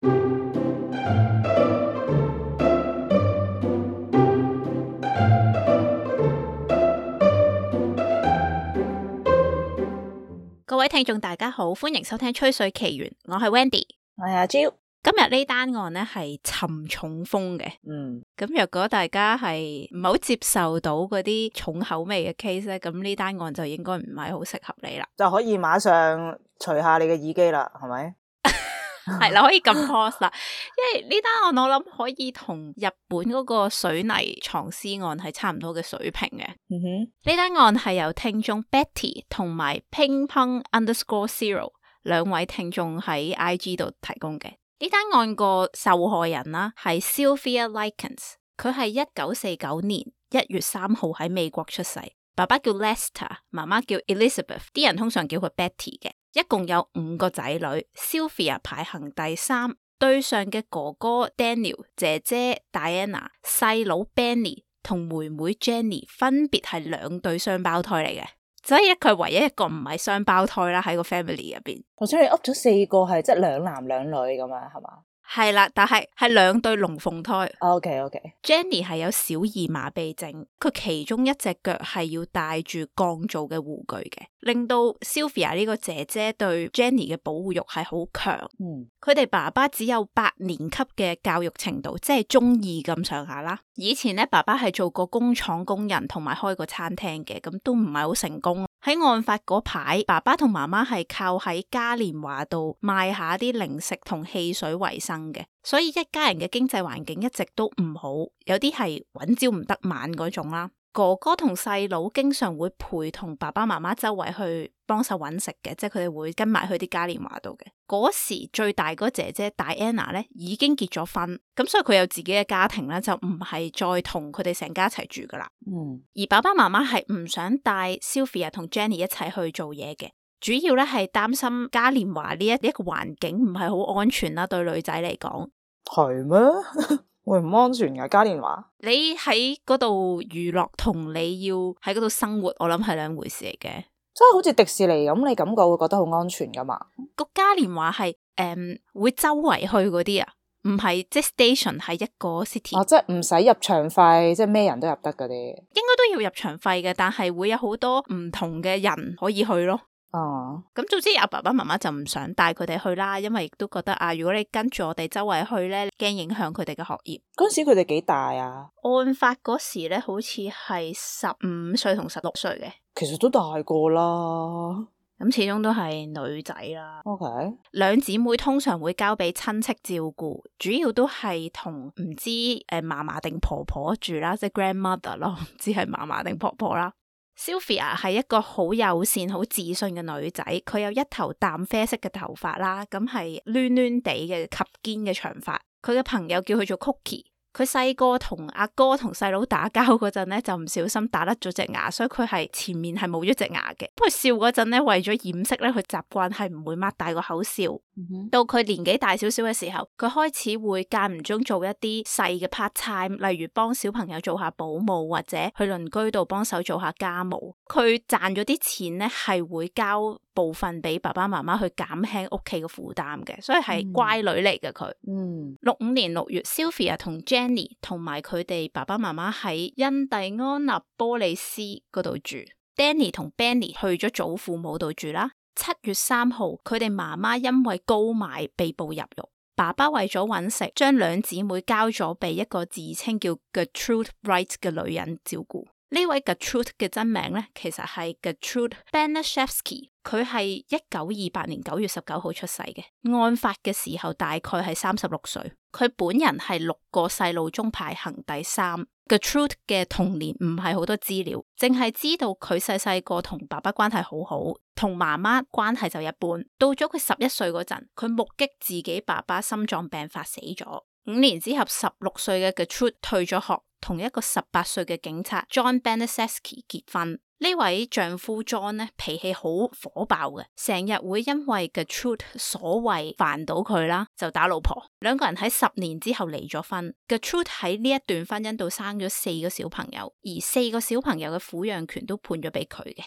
各位聽眾大家好，歡迎收聽吹水奇緣，我係 Wendy， 我係阿 Jill。今日呢單案呢係沉重風嘅，咁若果大家係唔係好接受到嗰啲重口味嘅 case 咧，咁呢單案就應該唔係好適合你啦，就可以馬上除下你嘅耳機啦，係咪？係啦，可以撳 pause 啦，因為呢單案我諗可以同日本嗰個水泥藏屍案係差唔多嘅水平嘅。呢單案係由聽眾 Betty 同埋 Ping-pong_0 兩位聽眾喺 IG 度提供嘅。呢單案個受害人啦係 Sylvia Likens， 佢係1949年1月3號喺美國出世，爸爸叫 Lester， 媽媽叫 Elizabeth， 啲人通常叫佢 Betty 嘅。一共有5個仔女 ，Sylvia 排行第3，對上嘅哥哥 Daniel、姐姐 Diana、細佬 Benny 同妹妹 Jenny 分別係2對雙胞胎嚟嘅，所以佢唯一一個唔係雙胞胎啦喺個 family 入邊。頭先你噏咗4個係即係2男2女咁啊，係嘛？係啦，但係2對龍鳳胎。OK。Jenny 係有小兒麻痹症，佢其中一隻腳係要戴住鋼造嘅護具嘅，令到 Sylvia 呢個姐姐對 Jenny 嘅保護欲係好強。佢哋爸爸只有8年級嘅教育程度，即係中2咁上下啦。以前咧，爸爸係做過工廠工人，同埋開過餐廳嘅，咁都唔係好成功。喺案發嗰排，爸爸同媽媽係靠喺嘉年華度賣下啲零食同汽水為生嘅，所以一家人嘅經濟環境一直都唔好，有啲係搵朝唔得晚嗰種啦。哥哥同細佬經常會陪同爸爸媽媽周圍去幫手搵食嘅，即係佢哋會跟埋去啲嘉年華度嘅。嗰時最大嗰姐姐 Diana 咧已經結咗婚，咁所以佢有自己嘅家庭咧，就唔係再同佢哋成家一齊住噶啦。而爸爸媽媽係唔想帶 Sylvia 同 Jenny 一齊去做嘢嘅，主要咧係擔心嘉年華呢一個環境唔係好安全啦，對女仔嚟講。係咩？會唔安全噶嘉年華？你喺嗰度娛樂同你要喺嗰度生活，我諗係2回事嚟嘅。即係好似迪士尼咁，你感覺會覺得好安全噶嘛？個嘉年華係會周圍去嗰啲啊，唔係即係 station 係一個 city。即係唔使入場費，即係咩人都入得嗰啲。應該都要入場費嘅，但係會有好多唔同嘅人可以去咯。咁總之阿爸爸媽媽就唔想帶佢哋去啦，因為亦都覺得如果你跟住我哋周圍去咧，驚影響佢哋嘅學業。嗰時佢哋幾大啊？案發嗰時咧，好似係15歲同16歲嘅。其實都大個啦，咁始終都係女仔啦。OK， 2姊妹通常會交俾親戚照顧，主要都係同唔知嫲嫲定婆婆住啦，即係 grandmother 咯，唔知係嫲嫲定婆婆啦。Sylvia 係一個好友善、好自信嘅女仔，佢有一頭淡啡色嘅頭髮啦，咁係攣攣地嘅及肩嘅長髮。佢嘅朋友叫佢做 Cookie。佢細個同阿哥同細佬打交嗰陣咧，就唔小心打甩咗隻牙，所以佢係前面係冇咗隻牙嘅。不過笑嗰陣咧，為咗掩飾咧，佢習慣係唔會擘大個口笑。到佢年紀大少少嘅時候，佢開始會間唔中做一啲細嘅 part time，例如幫小朋友做下保姆，或者去鄰居度幫手做下家務。佢賺咗啲錢咧，係會交部分俾爸爸媽媽去減輕屋企嘅負擔嘅，所以係乖女嚟嘅佢。65年6月 Sylvia 同 Jenny 同埋佢哋爸爸媽媽喺印第安納波利斯嗰度住。Danny 同 Benny 去咗祖父母度住啦。7月3號，佢哋媽媽因為高買被捕入獄。爸爸為咗揾食，將2姊妹交咗俾一個自稱叫 Gertrude Wright 嘅女人照顧。呢位 Gertrude 嘅真名咧，其實係 Gertrude Banaszewski， 佢係1928年9月19號出世嘅。案發嘅時候大概係36歲。佢本人係6個細路中排行第3。Gertrude 嘅童年唔係好多資料，淨係知道佢細個同爸爸關係好好，同媽媽關係就一般。到咗佢11歲嗰陣，佢目擊自己爸爸心臟病發死咗。5年之後，16歲嘅 Gertrude 退咗學，同一個18歲嘅警察 John Banaszewski 結婚。呢位丈夫 John 咧，脾氣好火爆嘅，成日會因為 Gertrude 所謂煩到佢啦，就打老婆。2個人喺10年之後離咗婚。Gertrude 喺呢一段婚姻度生咗4個小朋友，而4個小朋友嘅撫養權都判咗俾佢嘅。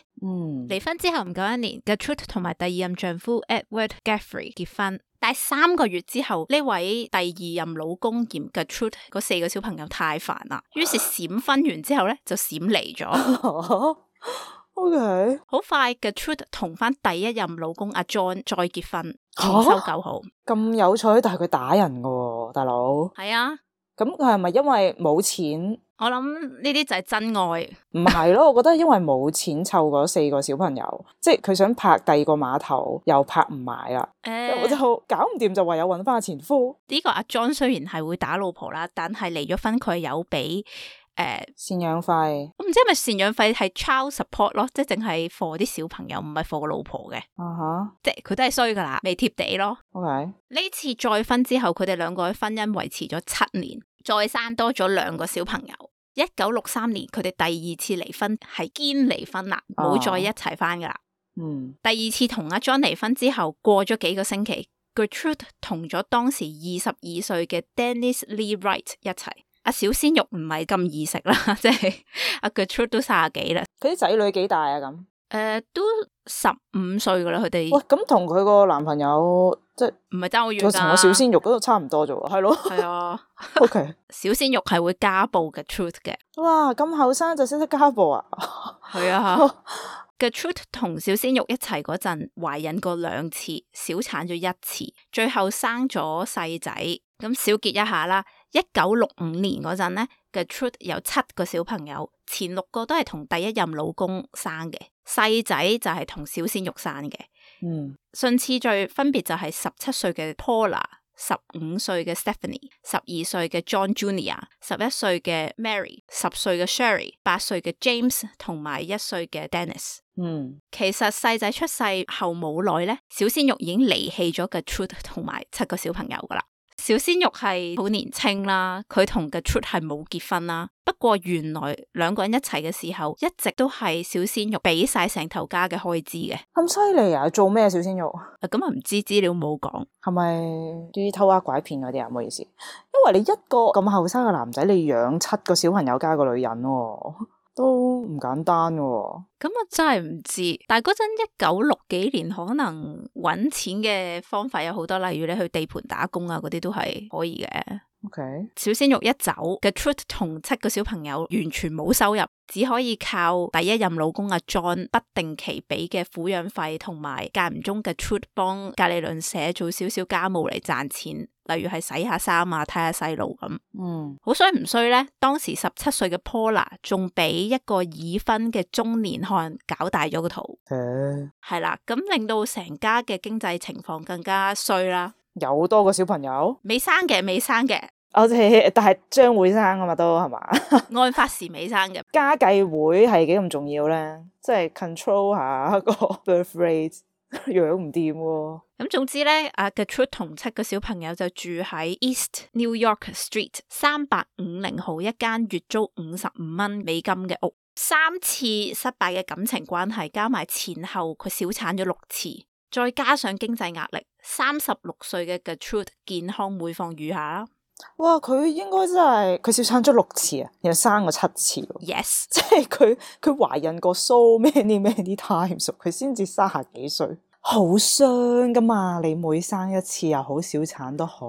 離婚之後唔夠1年，Gertrude 同埋第2任丈夫 Edward Geoffrey 結婚。但係3個月之後，呢位第二任老公嫌 Gertrude 嗰4個小朋友太煩啦，於是閃婚完之後咧就閃離咗。OK， 好快 Gertrude 同翻第一任老公阿 John 再結婚，重修舊好。咁有趣，但係佢打人噶喎，大佬。係啊，咁佢係咪因為冇錢？我諗呢啲就係真愛。唔係咯，我覺得因為冇錢湊嗰4個小朋友，即係佢想拍第二個碼頭又拍唔埋啦，我就搞唔掂，就唯有搵翻前夫。呢個阿 John 雖然係會打老婆啦，但係離咗婚佢有俾贍養費。我唔知係咪贍養費係 child support 咯，即係淨係 for 啲小朋友，唔係 for 個老婆嘅。即係佢都係衰噶啦，未貼地咯。OK， 呢次再婚之後，佢哋2個嘅婚姻維持咗7年，再生多咗2個小朋友。1963年佢哋第2次離婚，係堅離婚啦，冇再一齊翻噶啦。第2次同阿 John 離婚之後，過咗幾個星期 Gertrude 同咗當時22歲嘅 Dennis Lee Wright 一齊。阿小鮮肉唔係咁易食啦，即係阿 Gertrude 都30幾啦。佢啲仔女幾大啊？咁都15歲噶啦，佢哋。喂，咁同佢個男朋友即係唔係爭好遠噶？同我小鮮肉嗰度差唔多啫喎，係咯。係啊。OK， 小鮮肉係會家暴 Gertrude 嘅。哇，咁後生就識得家暴啊？係啊。Gertrude 同小鮮肉一齊嗰陣，懷孕過2次，小產咗1次，最後生咗細仔。咁小結一下啦，1965年嗰陣咧 Gertrude 有7個小朋友，前6個都係同第一任老公生嘅，細仔就係同小鮮肉生嘅。順次序分別就係17歲嘅 Paula、15歲嘅 Stephanie、12歲嘅 John Jr.、11歲嘅 Mary、10歲嘅 Sherry、8歲嘅 James 同埋1歲嘅 Dennis。其實細仔出世後冇耐咧，小鮮肉已經離棄咗 Gertrude 同埋7個小朋友噶啦。小鮮肉係好年輕啦，佢同 Gertrude 係冇結婚啦。不過原來2個人一齊嘅時候，一直都係小鮮肉俾晒成頭家嘅開支嘅。咁犀利啊！做咩小鮮肉？咁啊唔知，資料冇講。係咪啲偷呃拐騙嗰啲啊？唔好意思，因為你一個咁後生嘅男仔，你養7個小朋友加個女人喎，都唔簡單喎。咁我真係唔知，但係嗰陣1960幾年，可能搵錢嘅方法有好多，例如你去地盤打工啊，嗰啲都係可以嘅。Okay. 小鮮肉一走 Gertrude 同7個小朋友完全冇收入，只可以靠第一任老公阿 John 不定期俾嘅撫養費，同埋間唔中 Gertrude 幫隔離鄰舍做少少家務嚟賺錢，例如係洗下衫啊、睇下細路咁。好衰唔衰呢？當時17歲嘅 Paula 仲俾一個已婚嘅中年漢搞大咗個肚，係啦，咁令到成家嘅經濟情況更加衰啦。有多個小朋友？未生嘅，但係將會生啊嘛，都係嘛？案發時未生嘅。家計會係幾咁重要咧？即係 control 下個 birth rate， 養唔掂喎。咁總之咧，阿 Gertrude 同7個小朋友就住喺 East New York Street 3850號一間月租$55美金嘅屋。3次失敗嘅感情關係加埋前後，佢小產咗6次，再加上經濟壓力，36歲嘅 Gertrude 健康每況愈下啦。哇！佢應該真係佢小產咗6次啊，然後生過7次。Yes， 即係佢懷孕過 so many times，佢先至30幾歲，好傷噶嘛！你每生一次又好，小產都好，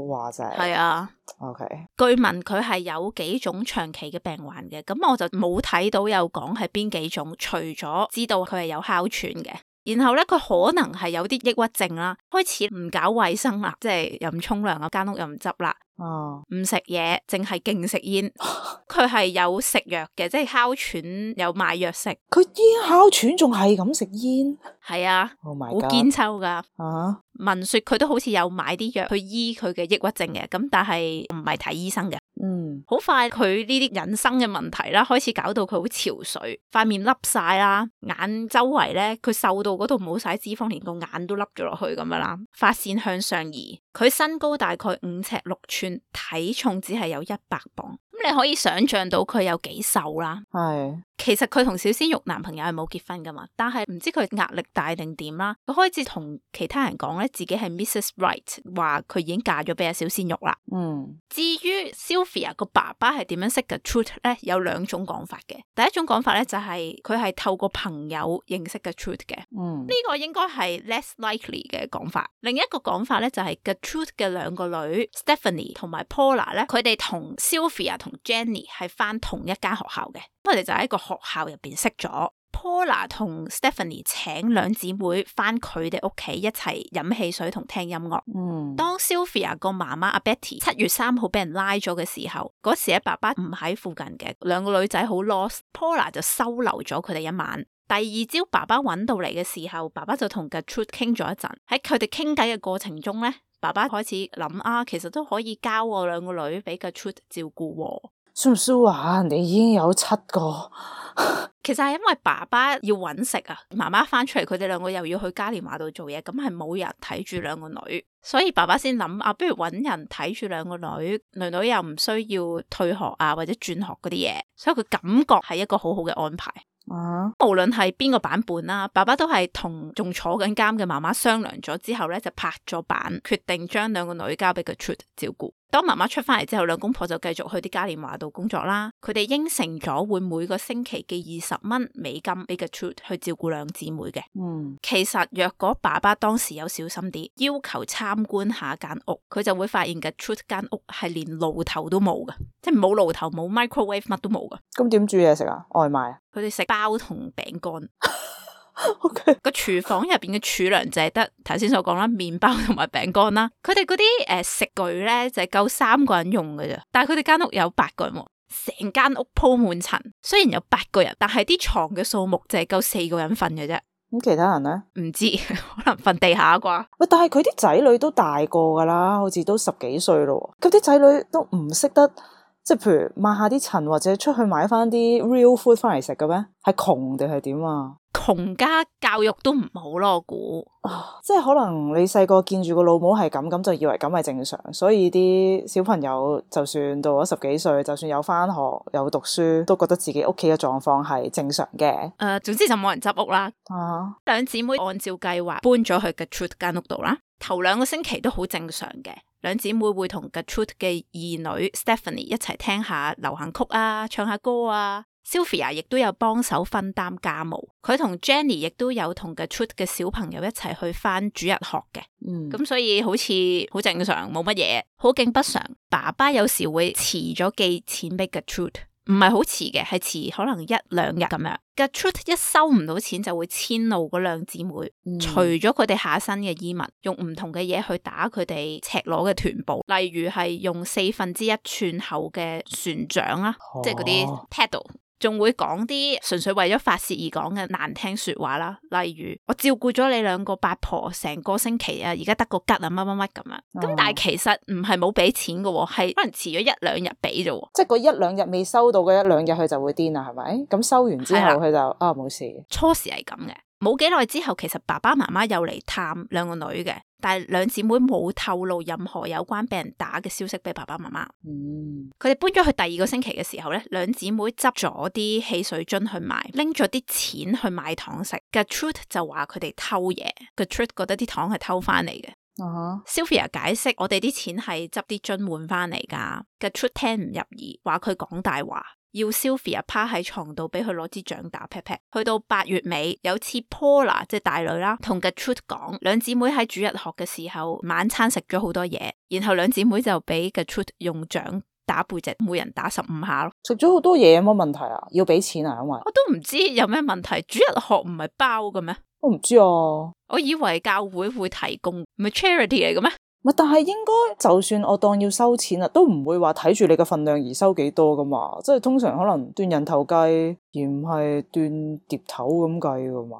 話就係啊。OK， 據聞佢係有幾種長期嘅病患嘅，咁我就冇睇到有講係邊幾種，除咗知道佢係有哮喘嘅。然後咧，佢可能係有啲抑鬱症啦，開始唔搞衛生啦，即係又唔沖涼啊，間屋又唔執啦，唔食嘢，淨係勁食煙。佢係有食藥嘅，即係哮喘有買藥食。佢煙哮喘仲係咁食煙？係啊，好堅抽噶。聞說佢都好似有買啲藥去醫佢嘅抑鬱症嘅，咁但係唔係睇醫生嘅。好快佢呢啲人生嘅問題啦，開始搞到佢好憔悴，塊面凹晒啦，眼周圍咧佢瘦到嗰度冇晒脂肪，連個眼都凹咗落去咁樣啦，髮線向上移。佢身高大概5尺6寸，體重只係有100磅。咁你可以想象到佢有幾瘦啦。係。其實佢同小鮮肉男朋友係冇結婚噶嘛，但係唔知佢壓力大定點啦，佢開始同其他人講咧自己係 Mrs. Right， 話佢已經嫁咗俾阿小鮮肉啦。至於 Sylvia 個爸爸係點樣識嘅 Truth 咧，有兩種講法嘅。第一種講法咧就係佢係透過朋友認識嘅 Truth 嘅，呢個應該係 less likely 嘅講法。另一個講法咧就係嘅 Truth 嘅兩個女 Stephanie 同埋 Paula 咧，佢哋同 Sylvia 同 Jenny 係返同一間學校嘅，佢哋就喺個學校入邊識咗。Paula 同 Stephanie 請兩姊妹返佢哋屋企一齊飲汽水同聽音樂。當 Sylvia 個媽媽阿 Betty 7月3號俾人拉咗嘅時候，嗰時咧爸爸唔喺附近嘅，兩個女仔好 lost，Paula 就收留咗佢哋一晚。第二朝爸爸揾到嚟嘅時候，爸爸就同 Gertrude 傾咗一陣。喺佢哋傾偈嘅過程中咧，爸爸開始諗其實都可以交我兩個女俾 Gertrude 照顧喎。算唔算話人哋已經有7個？其實係因為爸爸要揾食啊，媽媽翻出嚟，佢哋兩個又要去嘉年華度做嘢，咁係冇人睇住兩個女，所以爸爸先諗不如揾人睇住兩個女，女女又唔需要退學或者轉學嗰啲嘢，所以佢感覺係一個好好嘅安排。無論係邊個版本啦，爸爸都係同仲坐緊監嘅媽媽商量咗之後咧，就拍咗板，決定將兩個女交俾 Gertrude 照顧。當媽媽出翻嚟之後，兩公婆就繼續去啲嘉年華度工作啦。佢哋應承咗會每個星期寄20蚊美金俾 Gertrude 去照顧兩姊妹嘅。其實若果爸爸當時有小心啲，要求參觀下間屋，佢就會發現 Gertrude 間屋係連爐頭都冇嘅，即係冇爐頭冇 microwave 乜都冇嘅。咁點煮嘢食啊？外賣？佢哋食包同餅乾。Okay. 個廚房入邊嘅儲糧就係得頭先所講啦，麵包同埋餅乾啦。佢哋嗰啲食具咧就係夠3個人用嘅啫，但係佢哋間屋有8個人，成間屋鋪滿塵。雖然有8個人，但係啲床嘅數目就係夠4個人瞓嘅啫。咁其他人咧？唔知可能瞓地下啩。喂，但係佢啲仔女都大個噶啦，好似都10幾歲咯。咁啲仔女都唔識得，即係譬如抹下啲塵或者出去買翻啲 real food 翻嚟食嘅咩？係窮定係點啊？窮家教育都唔好咯，我估。即係可能你細個見住個老母係咁就以為咁係正常，所以啲小朋友就算到咗10幾歲，就算有翻學有讀書，都覺得自己屋企嘅狀況係正常嘅。總之就冇人執屋啦。兩姊妹按照計劃搬咗去 Gertrude 間屋度啦。頭2個星期都好正常嘅，兩姊妹會同 Gertrude 嘅二女 Stephanie 一齊聽下流行曲唱下歌Sylvia 亦都有幫手分擔家務，佢同 Jenny 亦都有同 Gertrude 嘅小朋友一齊去返主日學嘅。咁所以好似好正常，冇乜嘢。好景不常，爸爸有時會遲咗寄錢俾 Gertrude，唔係好遲嘅，係遲可能1-2日咁樣。Gertrude 一收唔到錢就會遷怒嗰兩姊妹，除咗佢哋下身嘅衣物，用唔同嘅嘢去打佢哋赤裸嘅臀部，例如係用1/4寸厚嘅船掌啦，即係嗰啲 paddle。仲會講啲純粹為咗發洩而講嘅難聽說話啦，例如我照顧咗你兩個八婆成個星期而家得個吉乜乜乜咁樣。咁但係其實唔係冇俾錢嘅，係可能遲咗1-2日俾啫。即係嗰1-2日未收到嗰1-2日佢就會癲啦，係咪？咁收完之後佢就冇事。初時係咁嘅。冇幾耐之後，其實爸爸媽媽又嚟探兩個女嘅，但係兩姊妹冇透露任何有關俾人打嘅消息俾爸爸媽媽。佢哋搬咗去第2個星期嘅時候咧，兩姊妹執咗啲汽水樽去賣，拎咗啲錢去買糖食。Gertrude 就話佢哋偷嘢，Gertrude 覺得啲糖係偷翻嚟嘅。Sylvia 解釋我哋啲錢係執啲樽換翻嚟噶。Gertrude 聽唔入耳，話佢講大話。要 Sylvia 趴喺床度俾佢攞支掌打 pat pat。去到8月尾，有次 Paula 即係大女啦，同 Gertrude 講，兩姊妹喺主日學嘅時候晚餐食咗好多嘢，然後兩姊妹就俾 Gertrude 用掌打背脊，每人打15下咯。食咗好多嘢有乜問題啊？要俾錢啊？因為我都唔知有咩問題。主日學唔係包嘅咩？我唔知啊。我以為教會會提供，唔係 charity 嚟嘅咩？但係應該就算我當要收錢啦，都唔會話睇住你嘅份量而收幾多噶嘛，即係通常可能斷人頭計，而唔係斷碟頭咁計噶嘛。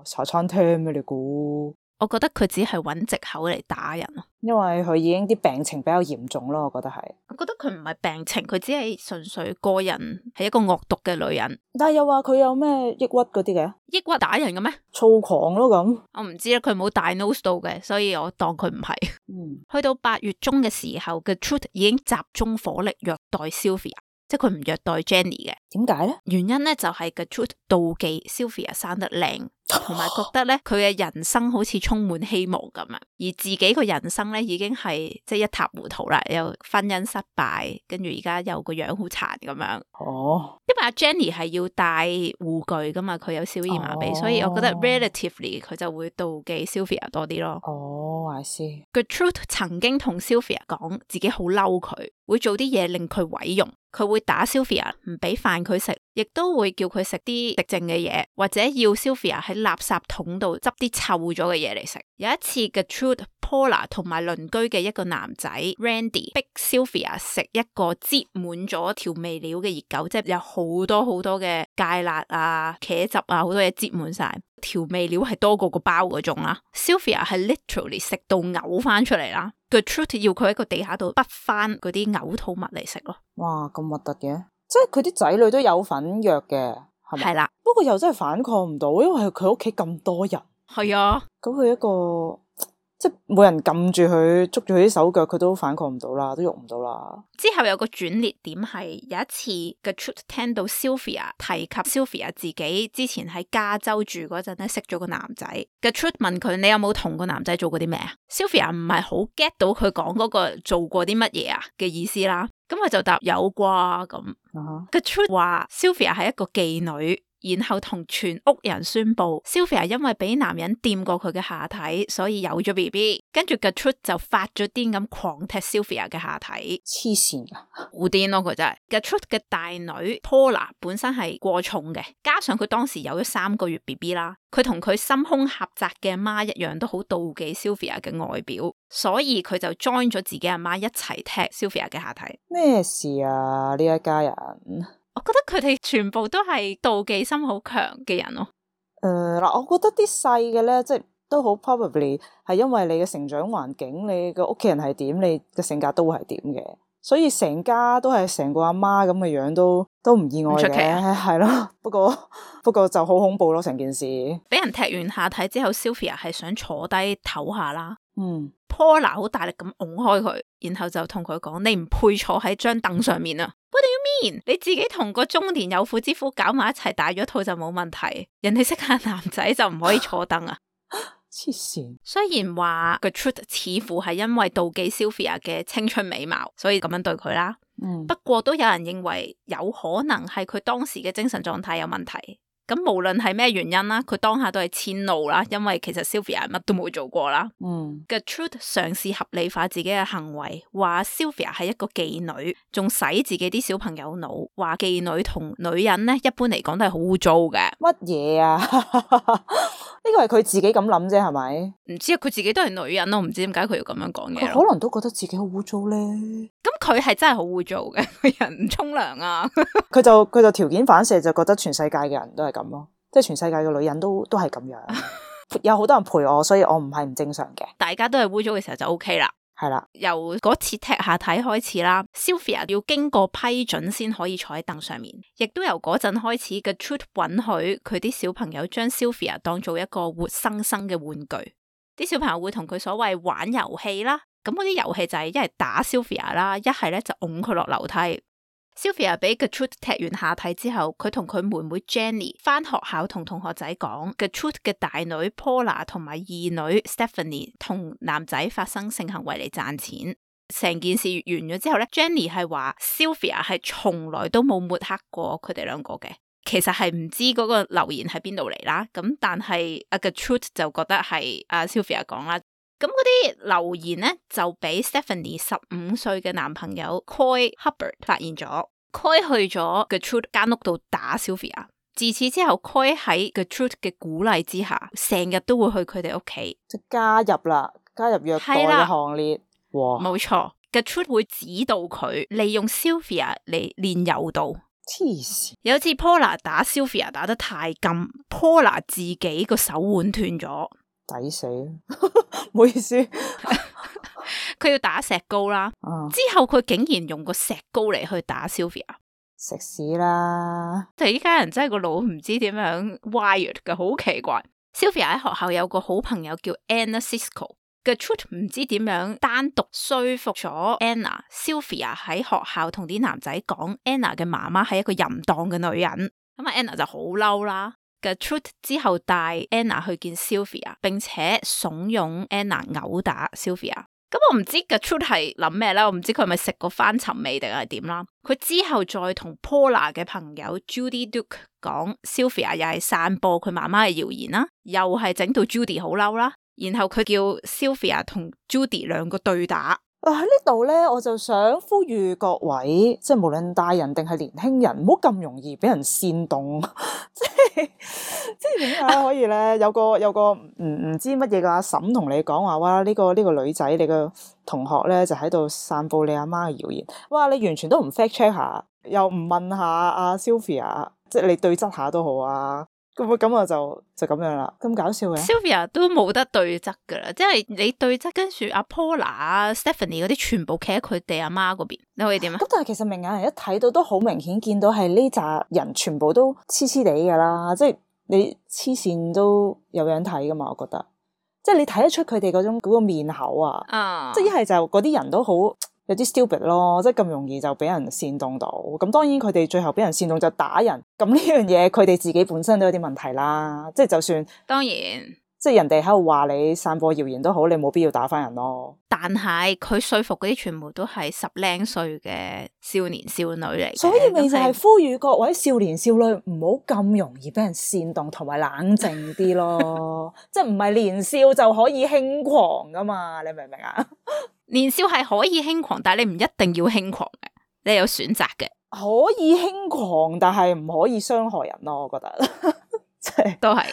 茶餐廳咩你估？我覺得佢只係揾藉口嚟打人咯，因為佢已經啲病情比較嚴重咯，我覺得係。我覺得佢唔係病情，佢只係純粹個人係一個惡毒嘅女人。但係又話佢有咩抑鬱嗰啲嘅？抑鬱打人嘅咩？躁狂咯咁。我唔知啦，佢冇diagnose到嘅，所以我當佢唔係。去到8月中嘅時候，Gertrude已經集中火力虐待 Sylvia。即係佢唔虐待 Jenny 嘅，點解咧？原因咧就係 Gertrude 妒忌 Sylvia 生得靚，同埋覺得咧佢嘅人生好似充滿希望咁啊，而自己個人生咧已經係即係一塌糊塗啦，又婚姻失敗，跟住而家又個樣好殘咁樣。哦，因為阿 Jenny 係要戴護具噶嘛，佢有小兒麻痹，所以我覺得 relatively 佢就會妒忌 Sylvia 多啲咯。哦，I see。Gertrude 曾經同 Sylvia 講自己好嬲佢，會做啲嘢令佢毀容。佢會打 Sylvia， 唔俾飯佢食，亦都會叫佢食啲食剩嘅嘢，或者要 Sylvia 喺垃圾桶度執啲臭咗嘅嘢嚟食。有一次 Gertrude、Paula 同埋鄰居嘅一個男仔 Randy 逼 Sylvia 食一個擠滿咗調味料嘅熱狗，即係有好多好多嘅芥辣啊、茄汁啊，好多嘢擠滿晒。調味料係多過個包嗰種啦。Sylvia 係 literally 食到嘔翻出嚟啦。Gertrude 要佢喺個地下度滗翻嗰啲嘔吐物嚟食咯。哇，咁核突嘅，即係佢啲仔女都有份虐嘅，係咪？係啦，不過又真係反抗唔到，因為佢屋企咁多人。係啊，咁佢一個即係冇人撳住佢，捉住佢啲手腳，佢都反抗唔到啦，都喐唔到啦。之後有個轉捩點係有一次 Gertrude 聽到 Sylvia 提及 Sylvia 自己之前喺加州住嗰陣咧識咗個男仔。Gertrude 問佢：你有冇同個男仔做過啲咩啊？ Sylvia 唔係好 get 到佢講嗰個做過啲乜嘢啊嘅意思啦。咁佢就答有啩咁。Gertrude 話 Sylvia 係一個妓女。然後同全屋人宣布 Sylvia 因為俾男人掂過佢嘅下體，所以有咗 BB。跟住 Gertrude 就發咗癲咁狂踢 Sylvia 嘅下體，黐線噶，好癲咯佢真係。Gertrude 嘅大女 Paula 本身係過重嘅，加上佢當時有咗3個月 BB 啦，佢同佢心胸狹窄嘅阿媽一樣，都好妒忌 Sylvia 嘅外表，所以佢就 join 咗自己阿媽一齊踢 Sylvia 嘅下體。咩事啊？呢一家人？我覺得佢哋全部都係妒忌心好強嘅人咯。嗱，我覺得啲細嘅咧，即係都好 probably 係因為你嘅成長環境，你嘅屋企人係點，你嘅性格都會係點嘅，所以成家都係成個阿媽咁嘅樣，都唔意外嘅，係咯。不過就好恐怖咯，成件事。俾人踢完下體之後 Sylvia 係想坐低唞下啦。Paula 好大力咁拱開佢，然後就同佢講：你唔配坐喺張凳上面啊！ What do you mean？ 你自己同個中年有婦之夫搞埋一齊大咗肚就冇問題，人哋識下男仔就唔可以坐凳啊！黐線。雖然話 Gertrude 似乎係因為妒忌 Sylvia 嘅青春美貌，所以咁樣對佢啦。不過都有人認為有可能係佢當時嘅精神狀態有問題。咁無論係咩原因啦，佢當下都係遷怒啦，因為其實 Sylvia 乜都冇做過啦。Gertrude 嘗試合理化自己嘅行為，話 Sylvia 係一個妓女，仲洗自己啲小朋友腦，話妓女同女人咧一般嚟講都係好污糟嘅。乜嘢啊？呢個係佢自己咁諗啫，係咪？唔知啊，佢自己都係女人咯，唔知點解佢要咁樣講嘢。佢可能都覺得自己好污糟咧。咁佢係真係好污糟嘅，個人唔沖涼啊。佢就條件反射，就覺得全世界嘅人都係咁咯，即係全世界嘅女人都係咁樣。有好多人陪我，所以我唔係唔正常嘅。大家都係污糟嘅時候就 OK 啦。係啦，由嗰次踢下體開始啦 ，Sylvia 要經過批准先可以坐喺凳上面，亦都由嗰陣開始嘅 Gertrude 允許佢啲小朋友將 Sylvia 當做一個活生生嘅玩具，啲小朋友會同佢所謂玩遊戲啦，咁嗰啲遊戲就係一係打 Sylvia 啦，一係咧就拱佢落樓梯。Sylvia 俾 Gertrude 踢完下體之後，佢同佢妹妹 Jenny 翻學校同同學仔講 Gertrude 嘅大女 Paula 同埋二女 Stephanie 同男仔發生性行為嚟賺錢。成件事完咗之後咧 Jenny 係話 Sylvia 係從來都冇抹黑過佢哋兩個嘅，其實係唔知嗰個留言喺邊度嚟啦。咁但係阿 Gertrude 就覺得係阿 Sylvia 講啦。咁嗰啲留言咧就俾 Stephanie 15歲嘅男朋友 Coy Hubbard 發現咗。Coy 去咗 Gertrude 間屋度打 Sylvia。自此之後 Coy 喺 Gertrude 嘅鼓勵之下，成日都會去佢哋屋企，即加入虐待嘅行列。哇，冇錯 ，Gertrude 會指導佢利用 Sylvia 嚟練柔道。黐線！有次 Paula 打 Sylvia 打得太勁，Paula 自己個手腕斷咗。抵死，唔好意思。佢要打石膏啦，之後佢竟然用個石膏嚟去打 Sylvia， 食屎啦！就依家人真係個腦唔知點樣 wired 嘅，好奇怪。Sylvia 喺學校有個好朋友叫 Anna Sisco，Gertrude 唔知點樣單獨說服咗 Anna。Sylvia 喺學校同啲男仔講 Anna 嘅媽媽係一個淫蕩嘅女人，咁啊 Anna 就好嬲啦。Gertrude 之後帶 Anna 去見 Sylvia， 並且慫恿 Anna 毆打 Sylvia。咁我唔知 Gertrude 係諗咩啦，我唔知佢係咪食過翻尋味定係點啦。佢之後再同 Paula 嘅朋友 Judy Duke 講 Sylvia 又係散播佢媽媽嘅謠言啦，又係整到 Judy 好嬲啦。然後佢叫 Sylvia 同 Judy 兩個對打。喺呢度咧，我就想呼籲各位，即係無論大人定係年輕人，唔好咁容易俾人煽動。即係點解可以咧？有個唔知乜嘢嘅阿嬸同你講話，哇！呢個女仔，你個同學咧就喺度散布你阿媽嘅謠言。哇！你完全都唔 fact check 下，又唔問下阿 Sylvia， 即係你對質下都好啊。咁我就咁樣啦，咁搞笑嘅。Sylvia 都冇得對質噶啦，即係你對質，跟住阿 Paula、Stephanie 嗰啲全部企喺佢哋阿媽嗰邊，你可以點啊？咁但係其實明眼人一睇到都好明顯，見到係呢扎人全部都黐黐地噶啦，即係你黐線都有樣睇噶嘛，我覺得，即係你睇得出佢哋嗰個面口啊，即係一係就嗰啲人都好有啲 stupid 咯，即係咁容易就俾人煽動到。咁當然佢哋最後俾人煽動就打人，咁呢樣嘢佢哋自己本身都有啲問題啦。即係就算當然，即係人哋喺度話你散播謠言都好，你冇必要打翻人咯。但係佢說服嗰啲全部都係10零歲嘅少年少女嚟，所以咪就係呼籲各位少年少女唔好咁容易俾人煽動，同埋冷靜啲咯。即係唔係年少就可以輕狂噶嘛？你明唔明啊？年少係可以輕狂，但係你唔一定要輕狂嘅，你有選擇嘅。可以輕狂，但係唔可以傷害人咯。我覺得即係都係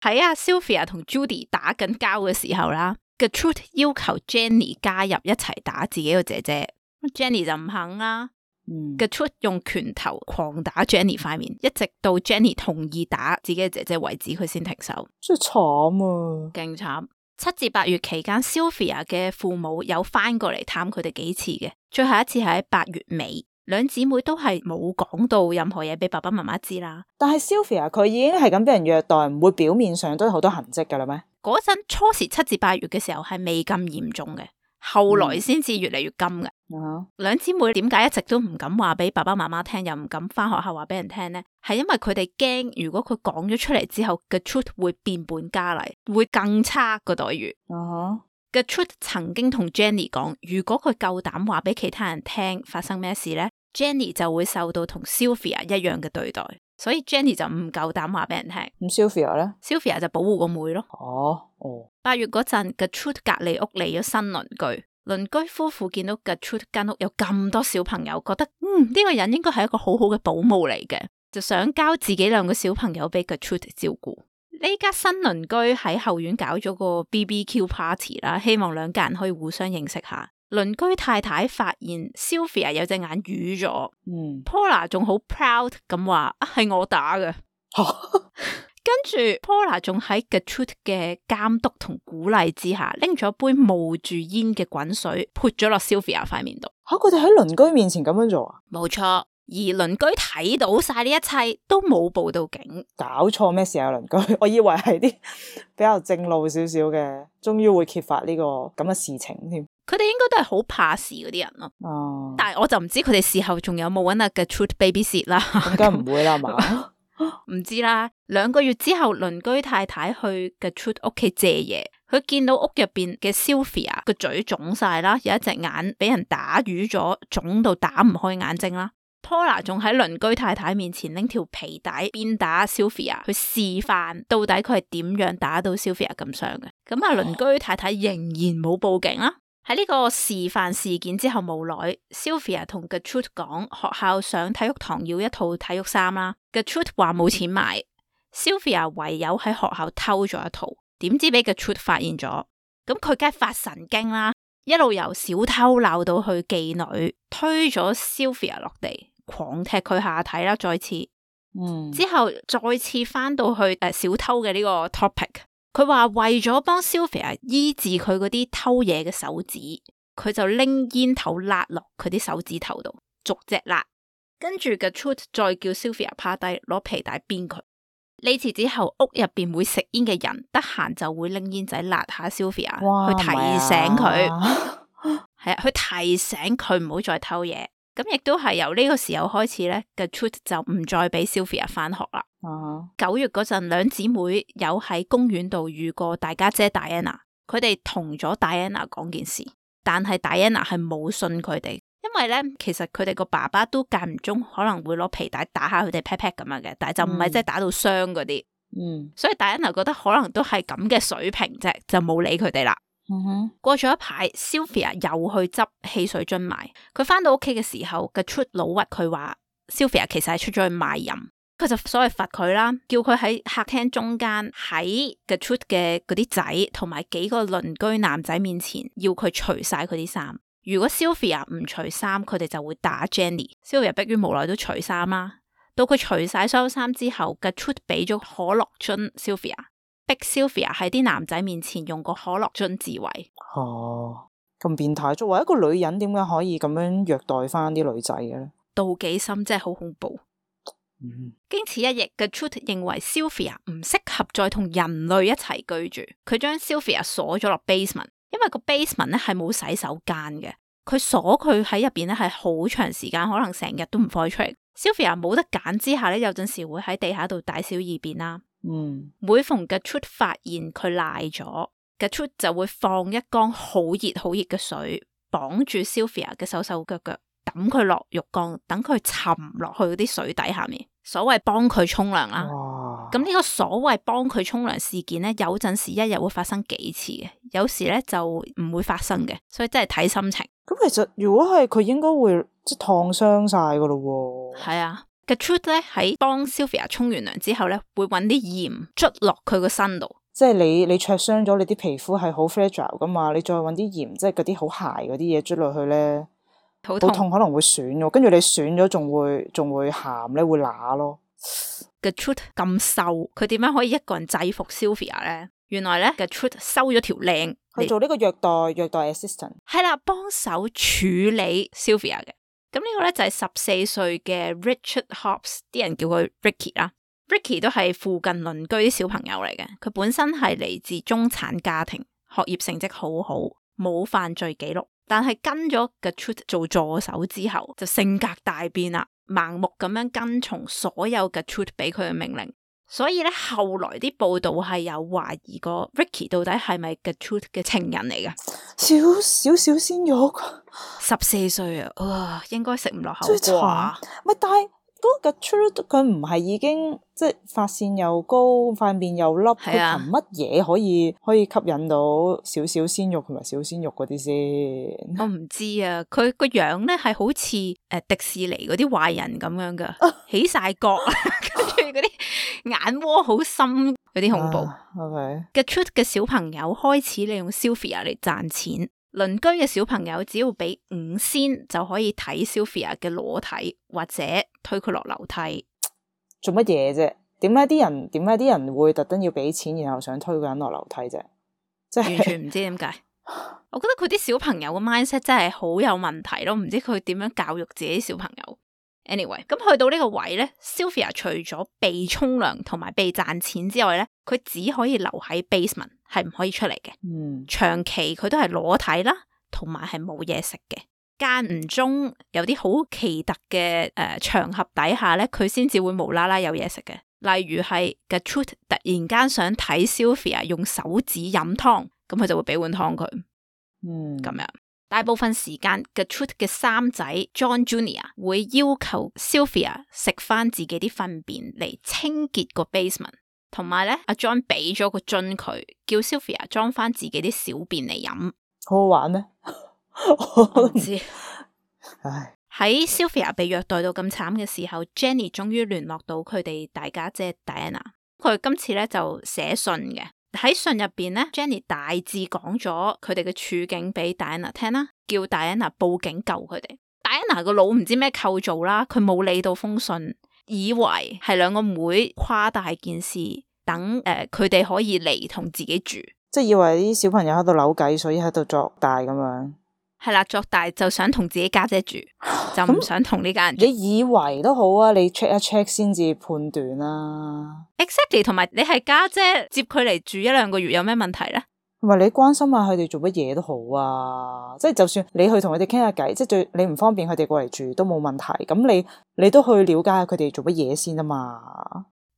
喺阿 Sylvia 同 Judy 打緊交嘅時候啦，Gertrude 要求 Jenny 加入一齊打自己個姐姐，Jenny 就唔肯啦。Gertrude 用拳頭狂打 Jenny 塊面，一直到 Jenny 同意打自己嘅姐姐為止，佢先停手。真係慘啊，勁慘。7至8月期間 Sylvia 嘅父母有翻過嚟探佢哋幾次嘅，最後一次係喺8月尾，兩姊妹都係冇講到任何嘢俾爸爸媽媽知啦。但係 Sylvia 佢已經係咁俾人虐待，唔會表面上都有好多痕跡噶啦咩？嗰陣初時7至8月嘅時候係未咁嚴重嘅，後來先至越嚟越金嘅。兩姊妹點解一直都唔敢話俾爸爸媽媽聽，又唔敢翻學校話俾人聽呢？係因為佢哋驚，如果佢講咗出嚟之後，Gertrude 會變本加厲，會更差個待遇。Gertrude 曾經同 Jenny 講，如果佢夠膽話俾其他人聽發生咩事呢， Jenny 就會受到同 Sylvia 一樣嘅對待。所以 Jenny 就唔夠膽話俾人聽。咁 Sylvia 咧 ？Sylvia 就保護個妹咯。8月嗰陣 Gertrude 隔離屋嚟咗新鄰居。鄰居夫婦見到 Gertrude 間屋有咁多小朋友，覺得呢個人應該係一個好好嘅保姆嚟嘅，就想交自己2個小朋友俾 Gertrude 照顧。呢家新鄰居喺後院搞咗個 BBQ party 啦，希望2家人可以互相認識下。鄰居太太發現 Sylvia 有隻眼瘀咗，Paula 仲好 proud 咁話係我打嘅。跟住 Paula 仲喺 Gertrude 嘅監督同鼓勵之下，拎咗一杯冒住煙嘅滾水潑咗落 Sylvia 塊面度。佢哋喺鄰居面前咁樣做啊？冇錯，而鄰居睇到晒呢一切都冇報到警。搞錯咩事啊？鄰居，我以為係啲比較正路少少嘅，終於會揭發呢個咁嘅事情添。佢哋應該都係好怕事嗰啲人咯。但係我就唔知佢哋事後仲有冇搵阿 Gertrude babysit 啦。應該唔會啦嘛。唔知啦。2個月之後，鄰居太太去 Gertrude 屋企借嘢，佢見到屋入邊嘅 Sylvia 個嘴腫晒啦，有一隻眼俾人打瘀咗，腫到打唔開眼睛啦。Paula 仲喺鄰居太太面前拎條皮帶鞭打 Sylvia，去示範到底佢係點樣打到 Sylvia 咁傷嘅。咁啊，鄰居太太仍然冇報警啦。喺呢個示範事件之後冇耐 Sylvia 同 Gertrude 講學校上體育堂要一套體育衫啦。Gertrude 話冇錢買， Sylvia 唯有喺學校偷咗一套，點知俾 Gertrude 發現咗，咁佢梗係發神經啦，一路由小偷鬧到去妓女，推咗 Sylvia 落地，狂踢佢下體啦，再次，之後再次翻到去小偷嘅呢個 topic。佢話為咗幫 Sylvia 醫治佢嗰啲偷嘢嘅手指，佢就拎煙頭辣落佢啲手指頭度，逐隻辣。跟住 Gertrude 再叫 Sylvia 趴低攞皮帶鞭佢。呢次之後，屋入邊會食煙嘅人得閒就會拎煙仔辣下 Sylvia，去提醒佢，係啊，去提醒佢唔好再偷嘢。咁亦都係由呢個時候開始咧，Gertrude 就唔再俾 Sylvia 翻學啦。9月嗰陣，兩姊妹有喺公園度遇過大家姐 Diana， 佢哋同咗 Diana 講件事，但係 Diana 係冇信佢哋。因為咧，其實佢哋個爸爸都間唔中可能會攞皮帶打下佢哋 pat pat 咁樣嘅，但係就唔係即係打到傷嗰啲。所以 Diana 覺得可能都係咁嘅水平啫，就冇理佢哋啦。過咗一排 ，Sylvia 又去執汽水樽賣。佢翻到屋企嘅時候，Gertrude 老屈佢話 Sylvia 其實係出咗去賣淫，佢就所謂罰佢啦，叫佢喺客廳中間喺 Gertrude 嘅嗰啲仔同埋幾個鄰居男仔面前，要佢除晒佢啲衫。如果 Sylvia 唔除衫，佢哋就會打 Jenny。Sylvia 迫於無奈都除衫啦。到佢除晒所有衫之後，Gertrude 俾咗可樂樽 Sylvia， 逼 Sylvia 喺啲男仔面前用個可樂樽自慰。咁變態！作為一個女人，點解可以咁樣虐待翻啲女仔嘅咧？妒忌心真係好恐怖。經此一役，Gertrude 認為 Sylvia 唔適合再同人類一齊居住，佢將 Sylvia 鎖咗落 basement。因為個 basement 咧係冇洗手間嘅，佢鎖佢喺入邊咧係好長時間，可能成日都唔放出嚟。Sylvia 冇得揀之下咧，有陣時會喺地下度大小二便啦。每逢 Gertrude 發現佢賴咗，Gertrude 就會放一缸好熱好熱嘅水，綁住 Sylvia 嘅手手腳腳，抌佢落浴缸，等佢沉落去嗰啲水底下面。所謂幫佢沖涼啦。咁呢個所謂幫佢沖涼事件咧，有陣時一日會發生幾次嘅，有時咧就唔會發生嘅，所以真係睇心情。咁其實如果係佢應該會即係燙傷晒噶咯。係啊，Gertrude 咧喺幫 Sylvia 沖完涼之後咧，會搵啲鹽捽落佢個身度。即係你灼傷咗，你啲皮膚係好 fragile 噶嘛，你再搵啲鹽，即係嗰啲好鞋嗰啲嘢捽落去咧，好痛，可能會損咗，跟住你損咗仲會鹹咧，會乸咯。Gertrude 咁瘦，佢點樣可以一個人制服 Sylvia 咧？原來咧 Gertrude 收咗條靚去做呢個虐待 assistant， 係啦，幫手處理 Sylvia 嘅。咁呢個咧就係14歲嘅 Richard Hobbs， 啲人叫佢 Ricky 啦。Ricky 都係附近鄰居啲小朋友嚟嘅，佢本身係嚟自中產家庭，學業成績好好，冇犯罪記錄，但係跟咗 Gertrude 做助手之後，就性格大變啦。盲目咁樣跟從所有 Gertrude 俾佢嘅命令，所以咧後來啲報道係有懷疑過 Ricky 到底係咪 Gertrude 嘅情人嚟㗎？少鮮肉，14歲啊，應該食唔落口啩？咪但係嗰個 Gertrude 佢唔係已經即係髮線又高，塊面又凹，佢憑乜嘢可以吸引到少鮮肉同埋小鮮肉嗰啲先？我唔知啊，佢個樣咧係好似迪士尼嗰啲壞人咁樣噶，起晒角，跟住嗰啲眼窩好深，有啲恐怖。Gertrude 嘅小朋友開始利用 Sylvia 嚟賺錢，鄰居嘅小朋友只要俾5仙就可以睇 Sylvia 嘅裸體或者推佢落樓梯。做乜嘢啫？點解啲人會特登要俾錢，然後想推個人落樓梯啫？即係完全唔知點解。我覺得佢啲小朋友嘅 mindset 真係好有問題咯，唔知佢點樣教育自己小朋友。Anyway， 咁去到呢個位咧 ，Sylvia 除咗被沖涼同埋被賺錢之外咧，佢只可以留喺 basement， 係唔可以出嚟嘅。長期佢都係裸體啦，同埋係冇嘢食嘅。間唔中有啲好奇特嘅場合底下咧，佢先至會無啦啦有嘢食嘅。例如係 Gertrude 突然間想睇 Sylvia 用手指飲湯，咁佢就會俾碗湯佢。咁樣大部分時間 Gertrude 嘅三仔 John Jr. 會要求 Sylvia 食翻自己啲糞便嚟清潔個 basement， 同埋咧阿 John 俾咗個樽佢，叫 Sylvia 裝翻自己啲小便嚟飲。好好玩咩？我唔知。喺 Sylvia 被虐待到咁慘嘅時候 ，Jenny 終於聯絡到佢哋大家姐 Diana。佢今次咧就寫信嘅，喺信入邊咧 ，Jenny 大致講咗佢哋嘅處境俾 Diana 聽啦，叫 Diana 報警救佢哋。Diana 個腦唔知咩構造啦，佢冇理到封信，以為係兩個妹誇大件事，等佢哋可以嚟同自己住，即係以為啲小朋友喺度扭計，所以喺度作大咁樣。係啦，作大就想同自己家姐住，就唔想同呢家人住。你以為都好啊，你 check 一 check 先至判斷啦。Exactly， 同埋你係家姐接佢嚟住1-2個月有咩問題咧？同埋你關心下佢哋做乜嘢都好啊，即係就算你去同佢哋傾下偈，即係你唔方便佢哋過嚟住都冇問題。咁你都去了解下佢哋做乜嘢先啊嘛。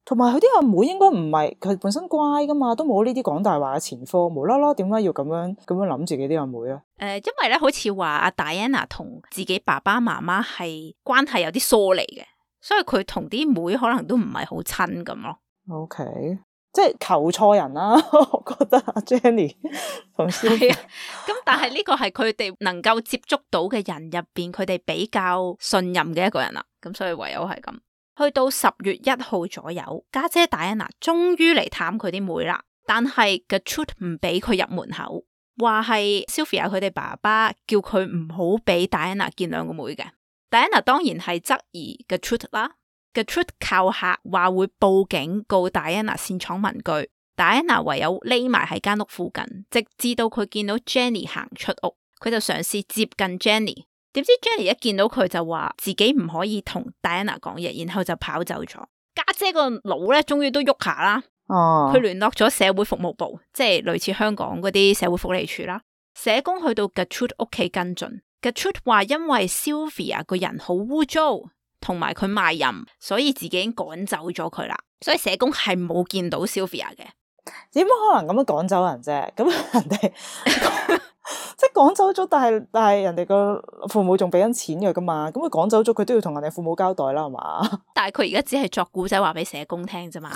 同埋佢啲阿妹應該唔係佢本身乖噶嘛，都冇呢啲講大話嘅前科，無啦啦點解要咁樣諗自己啲阿妹啊？因為咧好似話阿 Diana 同自己爸爸媽媽係關係有啲疏離嘅，所以佢同啲妹可能都唔係好親咁咯。OK， 即係求錯人啦，我覺得阿 Jenny 同 Sylvia 咁但係呢個係佢哋能夠接觸到嘅人入邊，佢哋比較信任嘅一個人啦。咁所以唯有係咁。去到10月1號左右，家姐 Diana 終於嚟探佢啲妹啦，但係 Gertrude 唔俾佢入門口，話係 Sylvia 佢哋爸爸叫佢唔好俾 Diana 見兩個妹嘅。Diana 當然係質疑 Gertrude 啦。Gertrude 靠嚇話會報警告 Diana 擅闖民居， Diana 唯有匿埋喺間屋附近，直至到佢見到 Jenny 行出屋，佢就嘗試接近 Jenny。點知 Jenny 一見到佢就話自己唔可以同 Diana 講嘢，然後就跑走咗。家姐個腦咧終於都喐下啦，佢聯絡咗社會服務部，即係類似香港嗰啲社會福利處啦。社工去到 Gertrude 屋企跟進， Gertrude 話因為 Sylvia 個人好污糟，同埋佢賣淫，所以自己已經趕走咗佢啦。所以社工係冇見到 Sylvia 嘅。點可能咁樣趕走人啫？咁人哋即係趕走咗，但係人哋個父母仲俾緊錢嘅噶嘛？咁佢趕走咗，佢都要同人哋父母交代啦，係嘛？但係佢而家只係作古仔話俾社工聽啫嘛。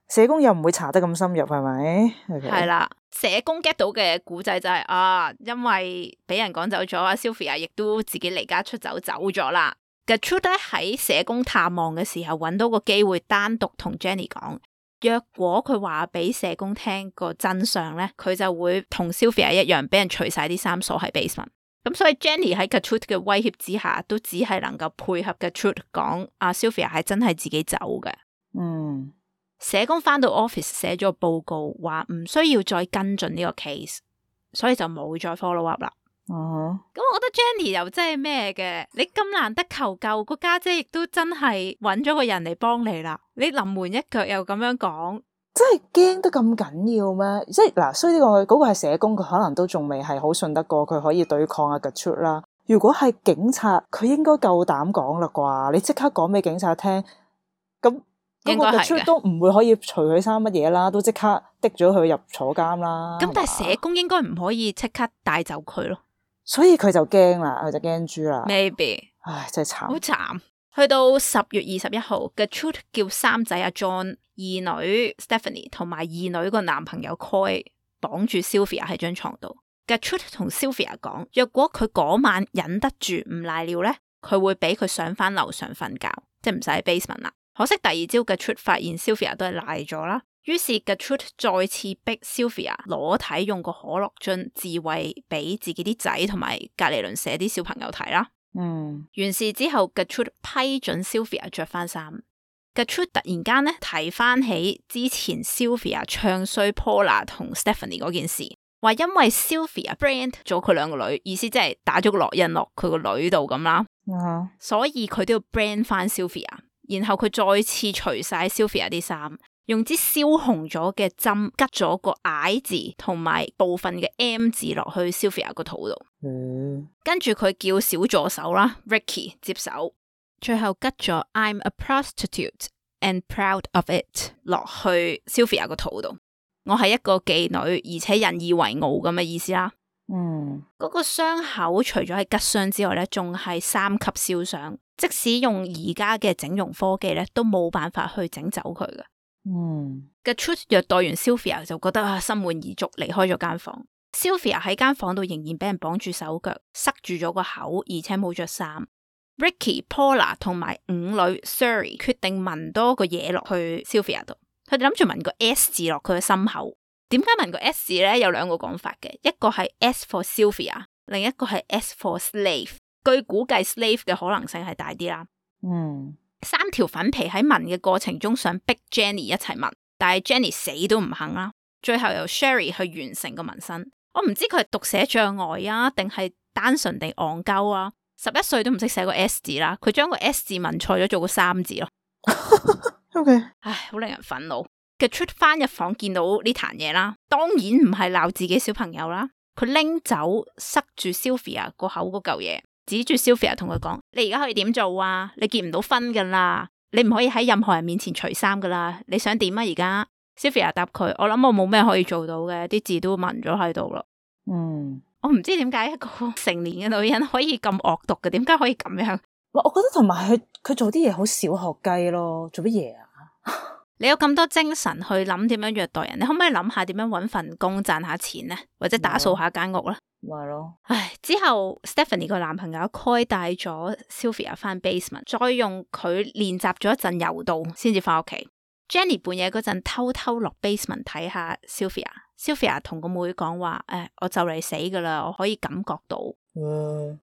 社工又唔會查得咁深入，係咪？係啦，社工 get 到嘅古仔就係因為俾人趕走咗，阿 Sylvia 亦都自己離家出走咗啦。Gertrude 喺社工探望嘅時候，揾到個機會單獨同 Jenny 講。若果佢話俾社工聽個真相咧，佢就會同 Sylvia 一樣俾人除晒啲衫鎖喺 basement。咁所以 Jenny 喺 Gertrude 嘅威脅之下，都只係能夠配合 Gertrude 講阿 Sylvia 係真係自己走嘅。社工翻到 office 寫咗個報告，話唔需要再跟進呢個 case， 所以就冇再 follow up 啦。咁我覺得 Jenny 又真係咩嘅，你咁難得求救，個家姐亦都真係揾咗個人嚟幫你啦，你臨門一腳又咁樣講，真係驚得咁緊要咩？即係嗱，所以呢個嗰個係社工，佢可能都仲未係好信得過佢可以對抗阿 Gertrude 啦。如果係警察，佢應該夠膽講啦啩？你即刻講俾警察聽，咁嗰個 Gertrude 都唔會可以除佢衫乜嘢啦，都即刻滴咗佢入坐監啦。咁但係社工應該唔可以即刻帶走佢咯。所以佢就驚啦，佢就驚豬啦。Maybe， 唉，真係慘，好慘。去到10月21號 Gertrude 叫三仔阿 John、二女 Stephanie 同埋二女個男朋友 Coy 綁住 Sylvia 喺張床度。Gertrude 同 Sylvia 講，若果佢嗰晚忍得住唔賴尿咧，佢會俾佢上翻樓上瞓覺，即係唔使喺 basement 啦。可惜第二朝 Gertrude 發現 Sylvia 都係賴咗啦。於是 Gertrude 再次逼 Sylvia 裸體用個可樂樽自慰俾自己啲仔同埋隔離鄰舍啲小朋友睇啦。完事之後 Gertrude 批准 Sylvia 着翻衫。Gertrude 突然間咧提翻起之前 Sylvia 唱衰 Paula 同 Stephanie 嗰件事，話因為 Sylvia brand 咗佢兩個女，意思即係打咗個烙印落佢個女度咁啦。所以佢都要 brand 翻 Sylvia， 然後佢再次除晒 Sylvia 啲衫。用支燒紅咗嘅針拮咗個 I 字同埋部分嘅 M 字落去 Sylvia 個肚度，跟住佢叫小助手啦 Ricky 接手，最後拮咗 I'm a prostitute and proud of it 落去 Sylvia 個肚度。我係一個妓女，而且引以為傲咁嘅意思啦。嗰個傷口除咗係拮傷之外咧，仲係3級燒傷，即使用而家嘅整容科技咧，都冇辦法去整走佢嘅。Gertrude 虐待完 Sylvia 就覺得心滿意足，離開咗間房。Sylvia 喺間房度仍然俾人綁住手腳，塞住咗個口，而且冇着衫。Ricky、Paula 同埋5女 Surrey 決定紋多個嘢落去 Sylvia 度，佢哋諗住紋個 S 字落佢嘅心口。點解紋個 S 字咧？有2個講法嘅，一個係 S for Sylvia， 另一個係 S for slave。據估計 slave 嘅可能性係大啲啦。3條粉皮喺紋嘅過程中想逼 Jenny 一齊紋，但係 Jenny 死都唔肯啦。最後由 Sherry 去完成個紋身。我唔知佢係讀寫障礙啊，定係單純地戇鳩啊。11歲都唔識寫個 S 字啦，佢將個 S 字紋錯咗做個3字咯。OK， 唉，好令人憤怒。Gertrude 翻入房見到呢壇嘢啦，當然唔係鬧自己小朋友啦，佢拎走塞住 Sylvia 個口嗰嚿嘢，指住 Sylvia 同佢講：你而家可以點做啊？你結唔到婚噶啦，你唔可以喺任何人面前除衫噶啦，你想點啊？而家 Sylvia 答佢：我諗我冇咩可以做到嘅，啲字都紋咗喺度啦。我唔知點解一個成年嘅女人可以咁惡毒嘅，點解可以咁樣？我覺得同埋佢做啲嘢好小學雞咯，做乜嘢啊？你有咁多精神去諗點樣虐待人，你可唔可以諗下點樣搵份工賺下錢呢？或者打掃下間屋咧？咪咯。唉，之後 Stephanie 個男朋友 Coy 帶咗 Sylvia 翻 basement， 再用佢練習咗一陣柔道先至翻屋企。Jenny 半夜嗰陣偷偷落 basement 睇下 Sylvia 同個妹講話：我就嚟死噶啦，我可以感覺到。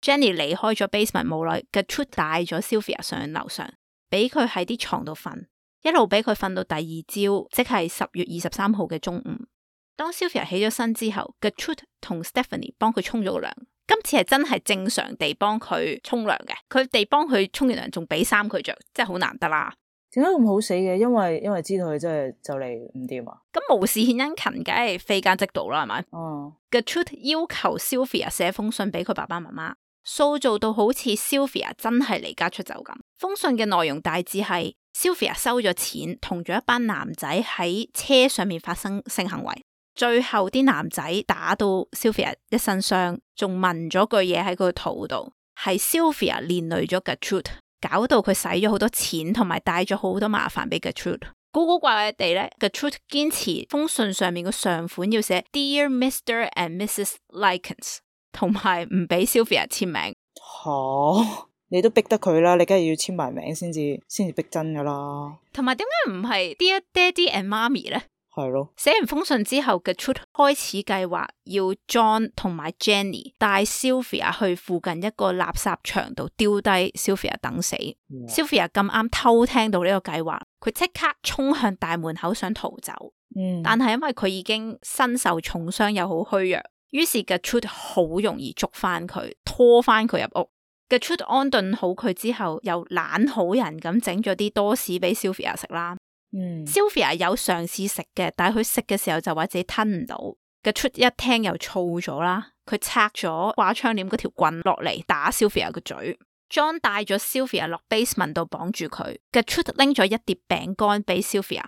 Jenny 離開咗 basement 冇耐，Gertrude 帶咗 Sylvia 上樓上，俾佢喺啲床度瞓，一路俾佢瞓到第二朝，即係10月23號嘅中午。當 Sylvia 起咗身之後 ，Gertrude 同 Stephanie 幫佢沖咗個涼，今次係真係正常地幫佢沖涼嘅，佢哋幫佢沖完涼仲俾衫佢着，真係好難得啦。點解咁好死嘅？因為知道佢真係就嚟唔掂啊！咁無事獻殷勤，梗係非奸即盜啦，係咪？Gertrude 要求 Sylvia 寫封信俾佢爸爸媽媽，塑造到好似 Sylvia 真係離家出走咁。封信嘅內容大致係 Sylvia 收咗錢，同咗一班男仔喺車上面發生性行為，最後啲男仔打到 Sylvia 一身傷，仲紋咗句嘢喺佢個肚度，係 Sylvia 連累咗 Gertrude，搞到佢使咗好多錢，同埋帶咗好多麻煩俾 Gertrude。古古怪怪地咧 ，Gertrude 堅持封信上面個上款要寫 Dear Mr. and Mrs. Likens， 同埋唔俾 Sylvia 簽名。你都逼得佢啦，你梗係要簽埋名先至逼真噶啦。同埋點解唔係 Dear Daddy and Mommy 咧？係咯，寫完封信之後 Gertrude 開始計劃要 John 同埋 Jenny 帶 Sylvia 去附近一個垃圾場度丟低 Sylvia 等死。Sylvia 咁啱偷聽到呢個計劃，佢即刻衝向大門口想逃走。但係因為佢已經身受重傷又好虛弱，於是 Gertrude 好容易捉翻佢，拖翻佢入屋。Gertrude 安頓好佢之後，又懶好人咁整咗啲多士俾 Sylvia 食啦。Sylvia 有嘗試食嘅，但係佢食嘅時候就話自己吞唔到。Gertrude 一聽又燥咗啦，佢拆咗掛窗簾嗰條棍落嚟打 Sylvia 個嘴。John 帶咗 Sylvia 落 basement 度綁住佢。Gertrude 拎咗一碟餅乾俾 Sylvia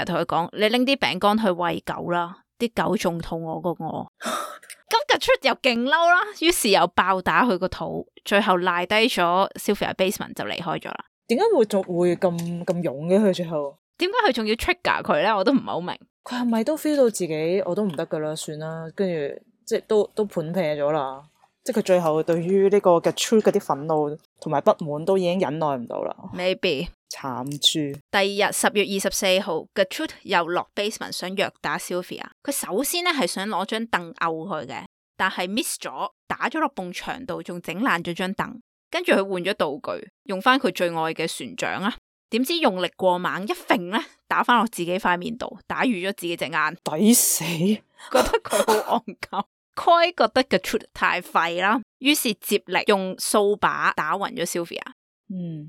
同佢講：你拎啲餅乾去餵狗啦，啲狗仲肚餓過我。咁 Gertrude 又勁嬲啦，於是又爆打佢個肚，最後賴低咗 Sylvia basement 就離開咗啦。點解會咁勇嘅佢最後？點解佢仲要 trigger 佢咧？我都唔係好明。佢係咪都 feel 到自己我都唔得噶啦，算啦，跟住即係都盤劈咗啦。即係佢最後對於呢個 Gertrude 嗰啲憤怒同埋不滿都已經忍耐唔到啦。Maybe 慘豬。第二日10月24號 Gertrude 又落 basement 想虐打 Sylvia。佢首先咧係想攞張凳毆佢嘅，但係 miss 咗，打咗落埲牆度，仲整爛咗張凳。跟住佢換咗道具，用翻佢最愛嘅船槳啊！點知用力過猛，一揈咧打翻落自己塊面度，打瘀咗自己隻眼，抵死！覺得佢好戇鳩。Coy 覺得 Gertrude 太廢啦，於是接力用掃把打暈咗 Sylvia。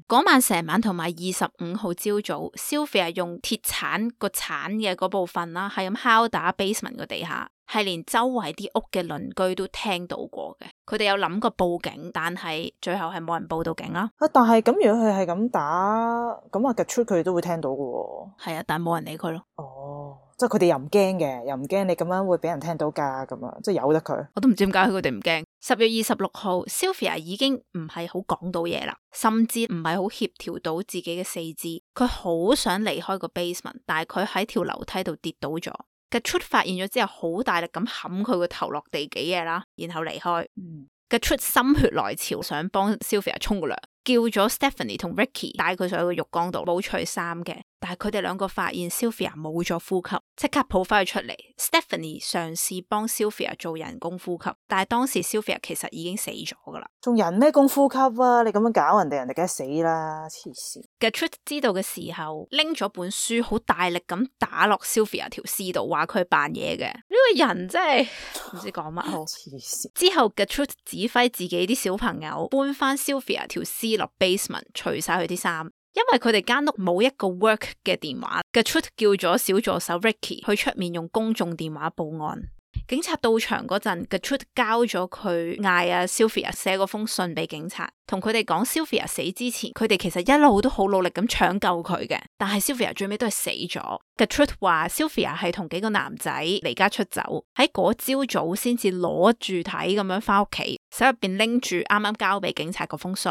嗰晚成晚同埋25號朝早 ，Sylvia 用鐵鏟個鏟嘅嗰部分啦，係咁敲打 basement 個地下，係連周圍啲屋嘅鄰居都聽到過嘅。佢哋有諗過報警，但係最後係冇人報到警啦。但係咁如果佢係咁打，咁啊 Gertrude 佢都會聽到嘅。係啊，但係冇人理佢咯。即係佢哋又唔驚嘅，又唔驚你咁樣會俾人聽到噶，咁啊，即係由得佢。我都唔知點解佢哋唔驚。10月26號 Sylvia 已經唔係好講到嘢啦，甚至唔係好協調到自己嘅四肢。佢好想離開個 basement， 但係佢喺條樓梯度跌倒咗。Gertrude 發現咗之後，好大力咁冚佢個頭落地幾嘢啦，然後離開。Gertrude 心血來潮，想幫 Sylvia 沖個涼，叫咗 Stephanie 同 Ricky 帶佢上去個浴缸度冇除衫嘅，但係佢哋兩個發現 Sylvia 冇咗呼吸，即刻抱翻佢出嚟。Stephanie 嘗試幫 Sylvia 做人工呼吸，但係當時 Sylvia 其實已經死咗噶啦。仲人咩工呼吸啊？你咁樣搞人哋，人哋梗係死啦！黐線。Gertrude 知道嘅時候，拎咗本書好大力咁打落 Sylvia 條屍度，話佢扮嘢嘅。呢個人真係唔知講乜好。之後 Gertrude 指揮自己啲小朋友搬翻 Sylvia 條屍落 basement， 除晒佢啲衫。因為佢哋間屋冇一個 work 嘅電話， Gertrude 叫咗小助手 Ricky 去出面用公眾電話報案。警察到場嗰陣 Gertrude 交咗佢嗌阿 Sylvia 寫嗰封信俾警察，同佢哋講 Sylvia 死之前，佢哋其實一路都好努力咁搶救佢嘅，但係 Sylvia 最尾都係死咗。Gertrude 話 Sylvia 係同幾個男仔離家出走，喺嗰朝早先至攞住睇咁樣翻屋企，手入邊拎住啱啱交俾警察嗰封信。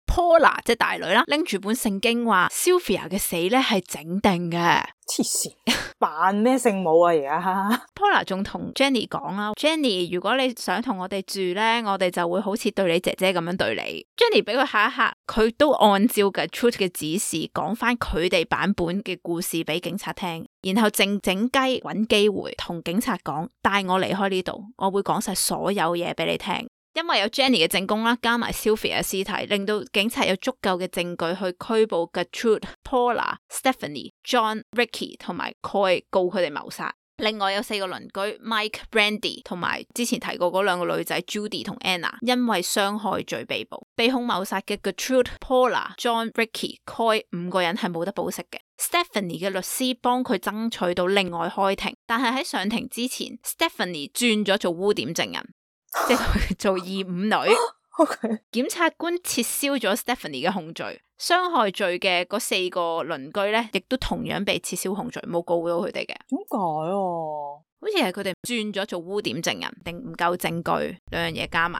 Paula 即係大女啦，拎住本聖經話 Sylvia 嘅死咧係整定嘅。黐線，扮咩聖母啊而家？Paula 仲同 Jenny 講啦 ，Jenny 如果你想同我哋住咧，我哋就會好似對你姐姐咁樣對你。Jenny 俾佢嚇一嚇，佢都按照嘅 Gertrude 嘅指示講翻佢哋版本嘅故事俾警察聽，然後靜靜雞揾機會同警察講，帶我離開呢度，我會講晒所有嘢俾你聽。因為有 Jenny 嘅證供啦，加埋 Sylvia 嘅屍體，令到警察有足夠嘅證據去拘捕 Gertrude、Paula、Stephanie、John、Ricky 同埋 Coy， 告佢哋謀殺。另外有4個鄰居 Mike、Brandy 同埋之前提過嗰2個女仔 Judy 同 Anna， 因為傷害罪被捕。被控謀殺嘅 Gertrude、Paula、John、Ricky、Coy 5個人係冇得保釋嘅。Stephanie 嘅律師幫佢爭取到另外開庭，但係喺上庭之前 Stephanie 轉咗做污點證人。即係做二五女。Okay. 檢察官撤銷咗 Stephanie 嘅控罪，傷害罪嘅嗰4個鄰居咧，亦都同樣被撤銷控罪，冇告到佢哋嘅。點解啊？好似係佢哋轉咗做污點證人，定唔夠證據，兩樣嘢加埋。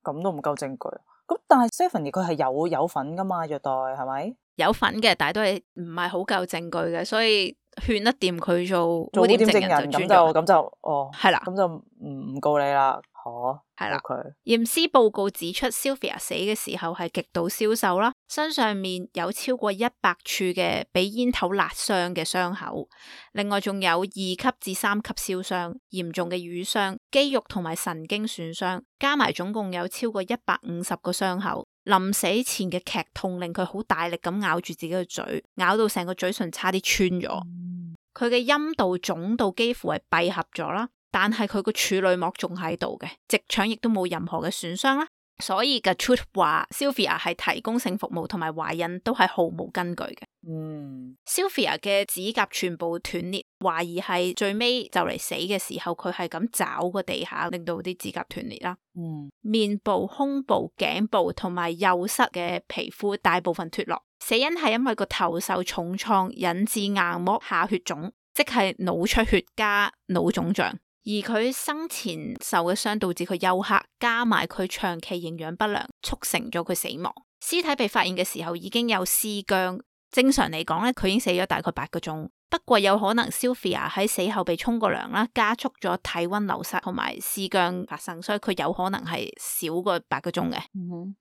咁都唔夠證據。咁但係 Stephanie 佢係有份噶嘛？虐待係咪？有份嘅，但係都係唔係好夠證據嘅，所以勸得掂佢做污點證人就轉咗。咁就係啦，咁就唔告你啦。係啦。Okay. 驗屍報告指出 Sylvia 死嘅時候係極度消瘦啦，身上面有超過100處嘅俾煙頭辣傷嘅傷口，另外仲有2級至3級燒傷，嚴重嘅瘀傷、肌肉同埋神經損傷，加埋總共有超過150個傷口。臨死前嘅劇痛令佢好大力咁咬住自己嘅嘴，咬到成個嘴唇差啲穿咗。佢嘅陰道腫到幾乎係閉合咗啦，但係佢個處女膜仲喺度嘅，直腸亦都冇任何嘅損傷啦。所以 Gertrude 話 Sylvia 係提供性服務同埋懷孕都係毫無根據嘅。Sylvia 嘅指甲全部斷裂，懷疑係最尾就嚟死嘅時候，佢係咁找個地下，令到啲指甲斷裂啦。面部、胸部、頸部同埋右膝嘅皮膚大部分脫落，死因係因為個頭受重創引致硬膜下血腫，即係腦出血加腦腫脹。而佢生前受嘅傷導致佢休克，加埋佢長期營養不良，促成咗佢死亡。屍體被發現嘅時候已經有屍僵，正常嚟講咧，佢已經死咗大概8個鐘。不過有可能 Sylvia 喺死後被沖過涼啦，加速咗體溫流失同埋屍僵發生，所以佢有可能係少過8個鐘嘅。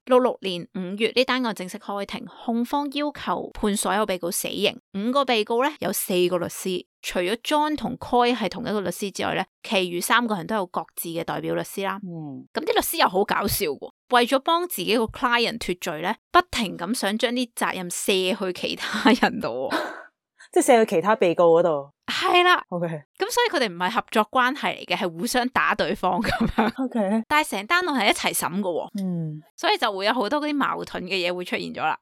66年5月呢單案正式開庭，控方要求判所有被告死刑。5個被告咧有4個律師，除咗 John 同 Coy 係同一個律師之外咧，其餘3個人都有各自嘅代表律師啦。咁啲律師又好搞笑喎，為咗幫自己個 client 脫罪咧，不停咁想將啲責任卸去其他人度。即係射去其他被告嗰度，係啦。OK，咁所以佢哋唔係合作關係嚟嘅，係互相打對方咁樣。OK，但係成單案係一齊審嘅，所以就會有好多嗰啲矛盾嘅嘢會出現咗啦。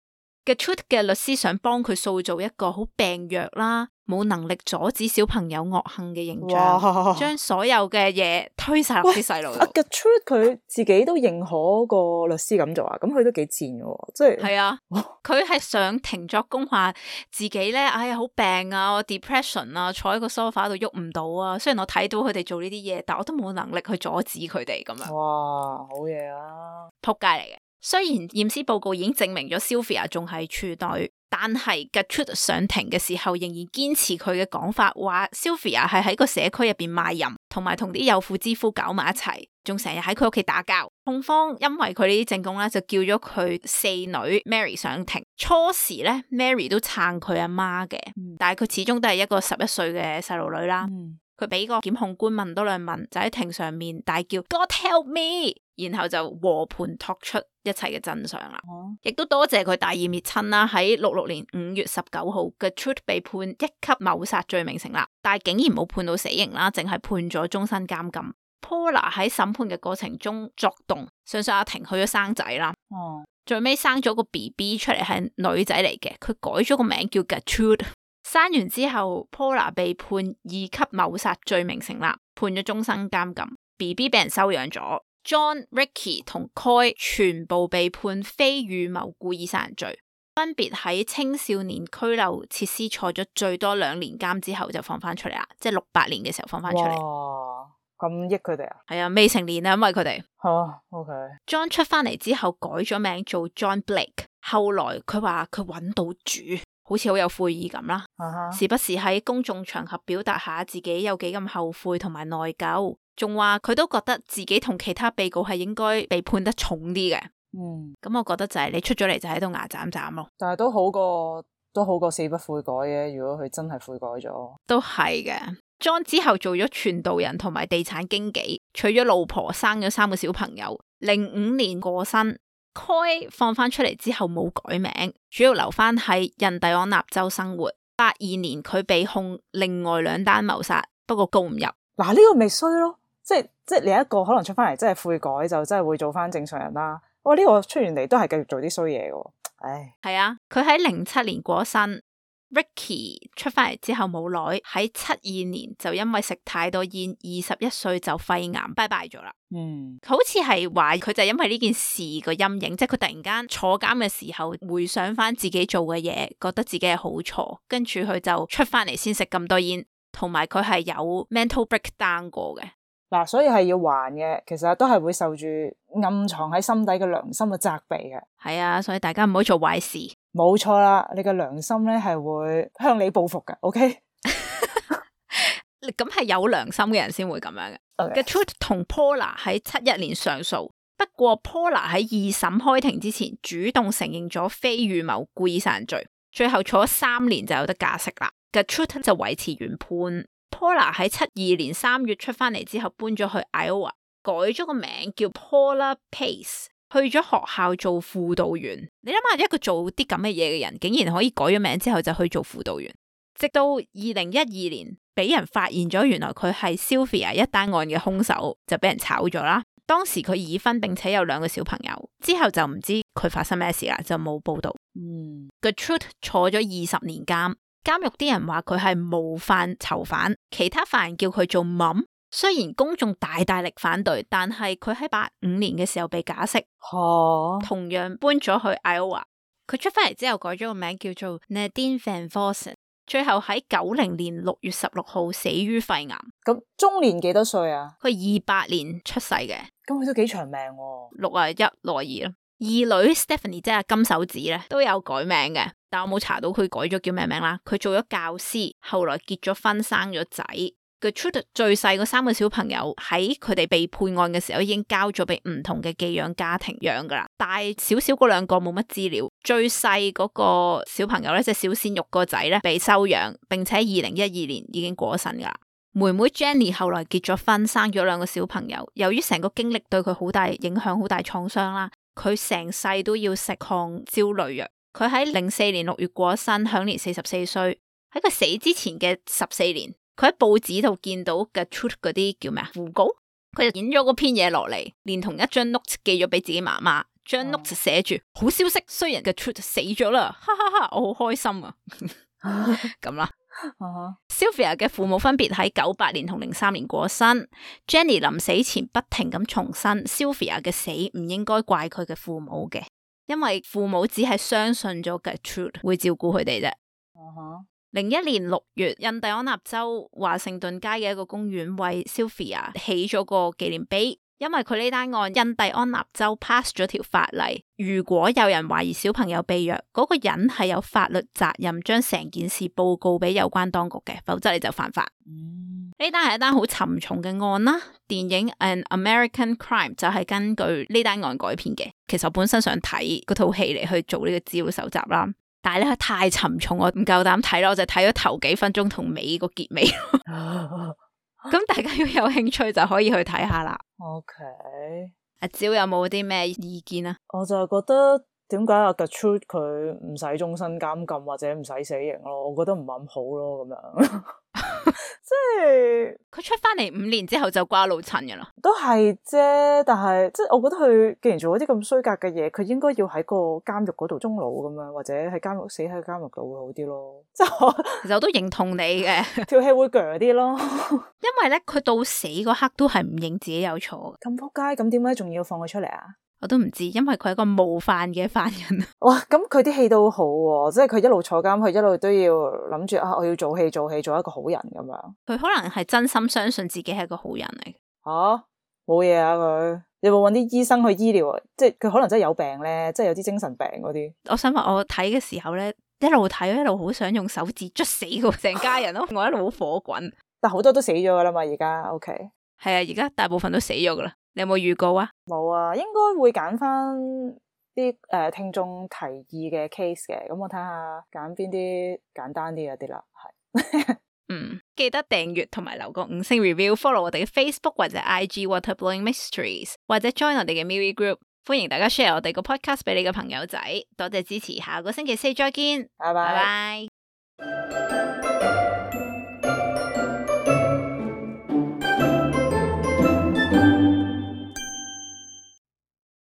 Gertrude 嘅律師想幫佢塑造一個好病弱啦，冇能力阻止小朋友惡行嘅形象，將所有嘅嘢推晒落啲細路度。Gertrude 佢自己都認可個律師咁做啊，咁佢都幾賤嘅，即係。係啊，佢係上庭作供話自己咧，哎呀好病啊，我 depression 啊，坐喺個 sofa 度喐唔到啊。雖然我睇到佢哋做呢啲嘢，但我都冇能力去阻止佢哋咁樣。哇，好嘢啊！仆街嚟嘅。雖然驗屍報告已經證明咗 Sylvia 仲係處女，但係 Gertrude 上庭嘅時候仍然堅持佢嘅講法，話 Sylvia 係喺個社區入邊賣淫，同埋同啲有婦之夫搞埋一齊，仲成日喺佢屋企打交。控方因為佢呢啲證供咧，就叫咗佢四女 Mary 上庭。初時咧 Mary 都撐佢阿媽嘅，但係佢始終都係一個11歲嘅細路女啦。佢俾個檢控官問多兩問，就喺庭上面大叫 God help me，然後就和盤托出一切嘅真相啦。亦都多謝佢大義滅親啦，喺66年5月19號嘅 Gertrude 被判1級謀殺罪名成立，但係竟然冇判到死刑啦，淨係判咗終身監禁。Paula 喺審判嘅過程中作動，上訴阿庭去咗生仔啦。最尾生咗個 BB 出嚟係女仔嚟嘅，佢改咗個名叫 Gertrude。生完之後 Paula 被判2級謀殺罪名成立，判咗終身監禁。BB 俾人收養咗。John、Ricky 同 Coy 全部被判非預謀故意殺人罪，分別喺青少年拘留設施坐咗最多2年監之後就放翻出嚟啦，即係68年嘅時候放翻出嚟。哇，咁益佢哋啊？係啊，未成年啊，因為佢哋。OK。John 出翻嚟之後改咗名做 John Blake， 後來佢話佢揾到主。好似好有悔意咁啦，時不時喺公眾場合表達下自己有幾咁後悔同埋內疚，仲話佢都覺得自己同其他被告係應該被判得重啲嘅。咁我覺得就係你出咗嚟就喺度牙斬斬咯。但係都好過死不悔改嘅，如果佢真係悔改咗。都係嘅。John 之後做咗傳道人同埋地產經紀，娶咗老婆，生咗3個小朋友。05年過身。Coy 放翻出嚟之後冇改名，主要留翻喺印第安納州生活。82年佢被控另外2單謀殺，不過告唔入。嗱，呢個咪衰咯，即係你一個可能出翻嚟真係悔改就真係會做翻正常人啦。哇，呢個出完嚟都係繼續做啲衰嘢嘅。唉，係啊，佢喺07年過身。Ricky 出翻嚟之後冇耐，喺72年就因為食太多煙，21歲就肺癌拜拜咗啦。好似係話佢就因為呢件事個陰影，即係佢突然間坐監嘅時候回想翻自己做嘅嘢，覺得自己係好錯，跟住佢就出翻嚟先食咁多煙，同埋佢係有 mental breakdown 過嘅。嗱，所以係要還嘅，其實都係會受住暗藏喺心底嘅良心嘅責備嘅。係啊，所以大家唔好做壞事。冇錯啦，你嘅良心咧係會向你報復嘅。OK， 咁係有良心嘅人先會咁樣嘅。Gertrude 同 Paula 喺71年上訴，不過 Paula 喺2審開庭之前主動承認咗非預謀故意殺人罪，最後坐咗3年就有得假釋啦。Gertrude 就維持原判。Paula 喺72年3月出翻嚟之後搬咗去 Iowa， 改咗個名叫 Paula Pace， 去咗學校做輔導員。你諗下，一個做啲咁嘅嘢嘅人，竟然可以改咗名之後就去做輔導員。直到2012年俾人發現咗，原來佢係 Sylvia 一單案嘅兇手，就俾人炒咗啦。當時佢已婚並且有2個小朋友，之後就唔知佢發生咩事啦，就冇報道。Gertrude 坐咗20年監。監獄啲人話佢係模範囚犯，其他犯人叫佢做 Mom。雖然公眾大力反對，但係佢喺85年嘅時候被假釋，同樣搬咗去 Iowa。佢出翻嚟之後改咗個名叫做 Nadine Van Vossen， 最後喺90年6月16號死於肺癌。咁終年幾多歲啊？佢28年出世嘅，咁佢都幾長命喎。61、62咯。二女 Stephanie 即係金手指咧，都有改名嘅，但我冇查到佢改咗叫咩名啦。佢做咗教師，後來結咗婚，生咗仔。Gertrude 最細個3個小朋友喺佢哋被判案嘅時候已經交咗俾唔同嘅寄養家庭養噶啦，大少少嗰2個冇乜資料。最細嗰個小朋友咧，即係小鮮肉個仔咧，被收養，並且2012年已經過咗身噶啦。妹妹 Jenny 後來結咗婚，生咗2個小朋友。由於成個經歷對佢好大影響，好大創傷啦，佢成世都要食抗焦慮藥。佢喺04年6月過咗身，享年44歲。喺佢死之前嘅14年，佢喺報紙度見到 Gertrude 嗰啲叫咩啊訃告，佢就影咗嗰篇嘢落嚟，連同一張 note 寄咗俾自己媽媽。張 note 寫住好消息，雖然 Gertrude 死咗啦，哈哈哈，我好開心啊，咁啦。Sylvia 嘅父母分別喺98年同03年過身。Jenny 臨死前不停咁重申 Sylvia 嘅死唔應該怪佢嘅父母嘅，因為父母只係相信咗 Gertrude 會照顧佢哋啫。01年6月，印第安納州華盛頓街嘅一個公園為 Sylvia 起咗個紀念碑。因為佢呢單案，印第安納州 pass 咗條法例，如果有人懷疑小朋友被虐，嗰個人係有法律責任將成件事報告俾有關當局嘅，否則你就犯法。呢單係一單好沉重嘅案啦。電影 An American Crime 就係根據呢單案改編嘅。其實我本身想睇嗰套戲嚟去做呢個資料搜集啦，但係咧太沉重，我唔夠膽睇咯，我就睇咗頭幾分鐘同尾個結尾。咁大家如果有興趣就可以去睇下啦。OK，阿蕉有冇啲咩意見啊？我就係覺得點解阿 Gertrude 佢唔使終身監禁或者唔使死刑咯？我覺得唔係咁好咯，咁樣即係佢出翻嚟5年之後就瓜老襯噶啦，都係啫。但係即係我覺得佢既然做咗啲咁衰格嘅嘢，佢應該要喺個監獄嗰度終老咁樣，或者喺監獄死喺監獄度會好啲咯。即係其實我都認同你嘅，條氣會鋸啲咯。因為咧佢到死嗰刻都係唔認自己有錯。咁仆街，咁點解仲要放佢出嚟啊？我都唔知，因為佢係一個冒犯嘅犯人。哇，咁佢啲戲都好喎，即係佢一路坐監，佢一路都要諗住啊，我要做戲，做一個好人咁樣。佢可能係真心相信自己係一個好人嚟。吓，冇嘢啊佢，有冇搵啲醫生去醫療？即係佢可能真係有病咧，即係有啲精神病嗰啲。我想話我睇嘅時候咧，一路睇一路好想用手指捽死佢成家人咯，我一路好火滾。但好多都死咗噶啦嘛，而家 OK。係啊，而家大部分都死咗噶啦。你有冇預告啊？冇啊，應該會揀翻啲聽眾提議嘅 case 嘅，咁我睇下揀邊啲簡單啲嗰啲啦，係。記得訂閱同埋留個5星 review，follow 我哋嘅 Facebook 或者 IG Waterblowing Mysteries， 或者 join 我哋嘅 MeWe Group。歡迎大家 share 我哋個 podcast 俾你嘅朋友仔，多謝支持，下個星期4再見，拜拜。拜拜。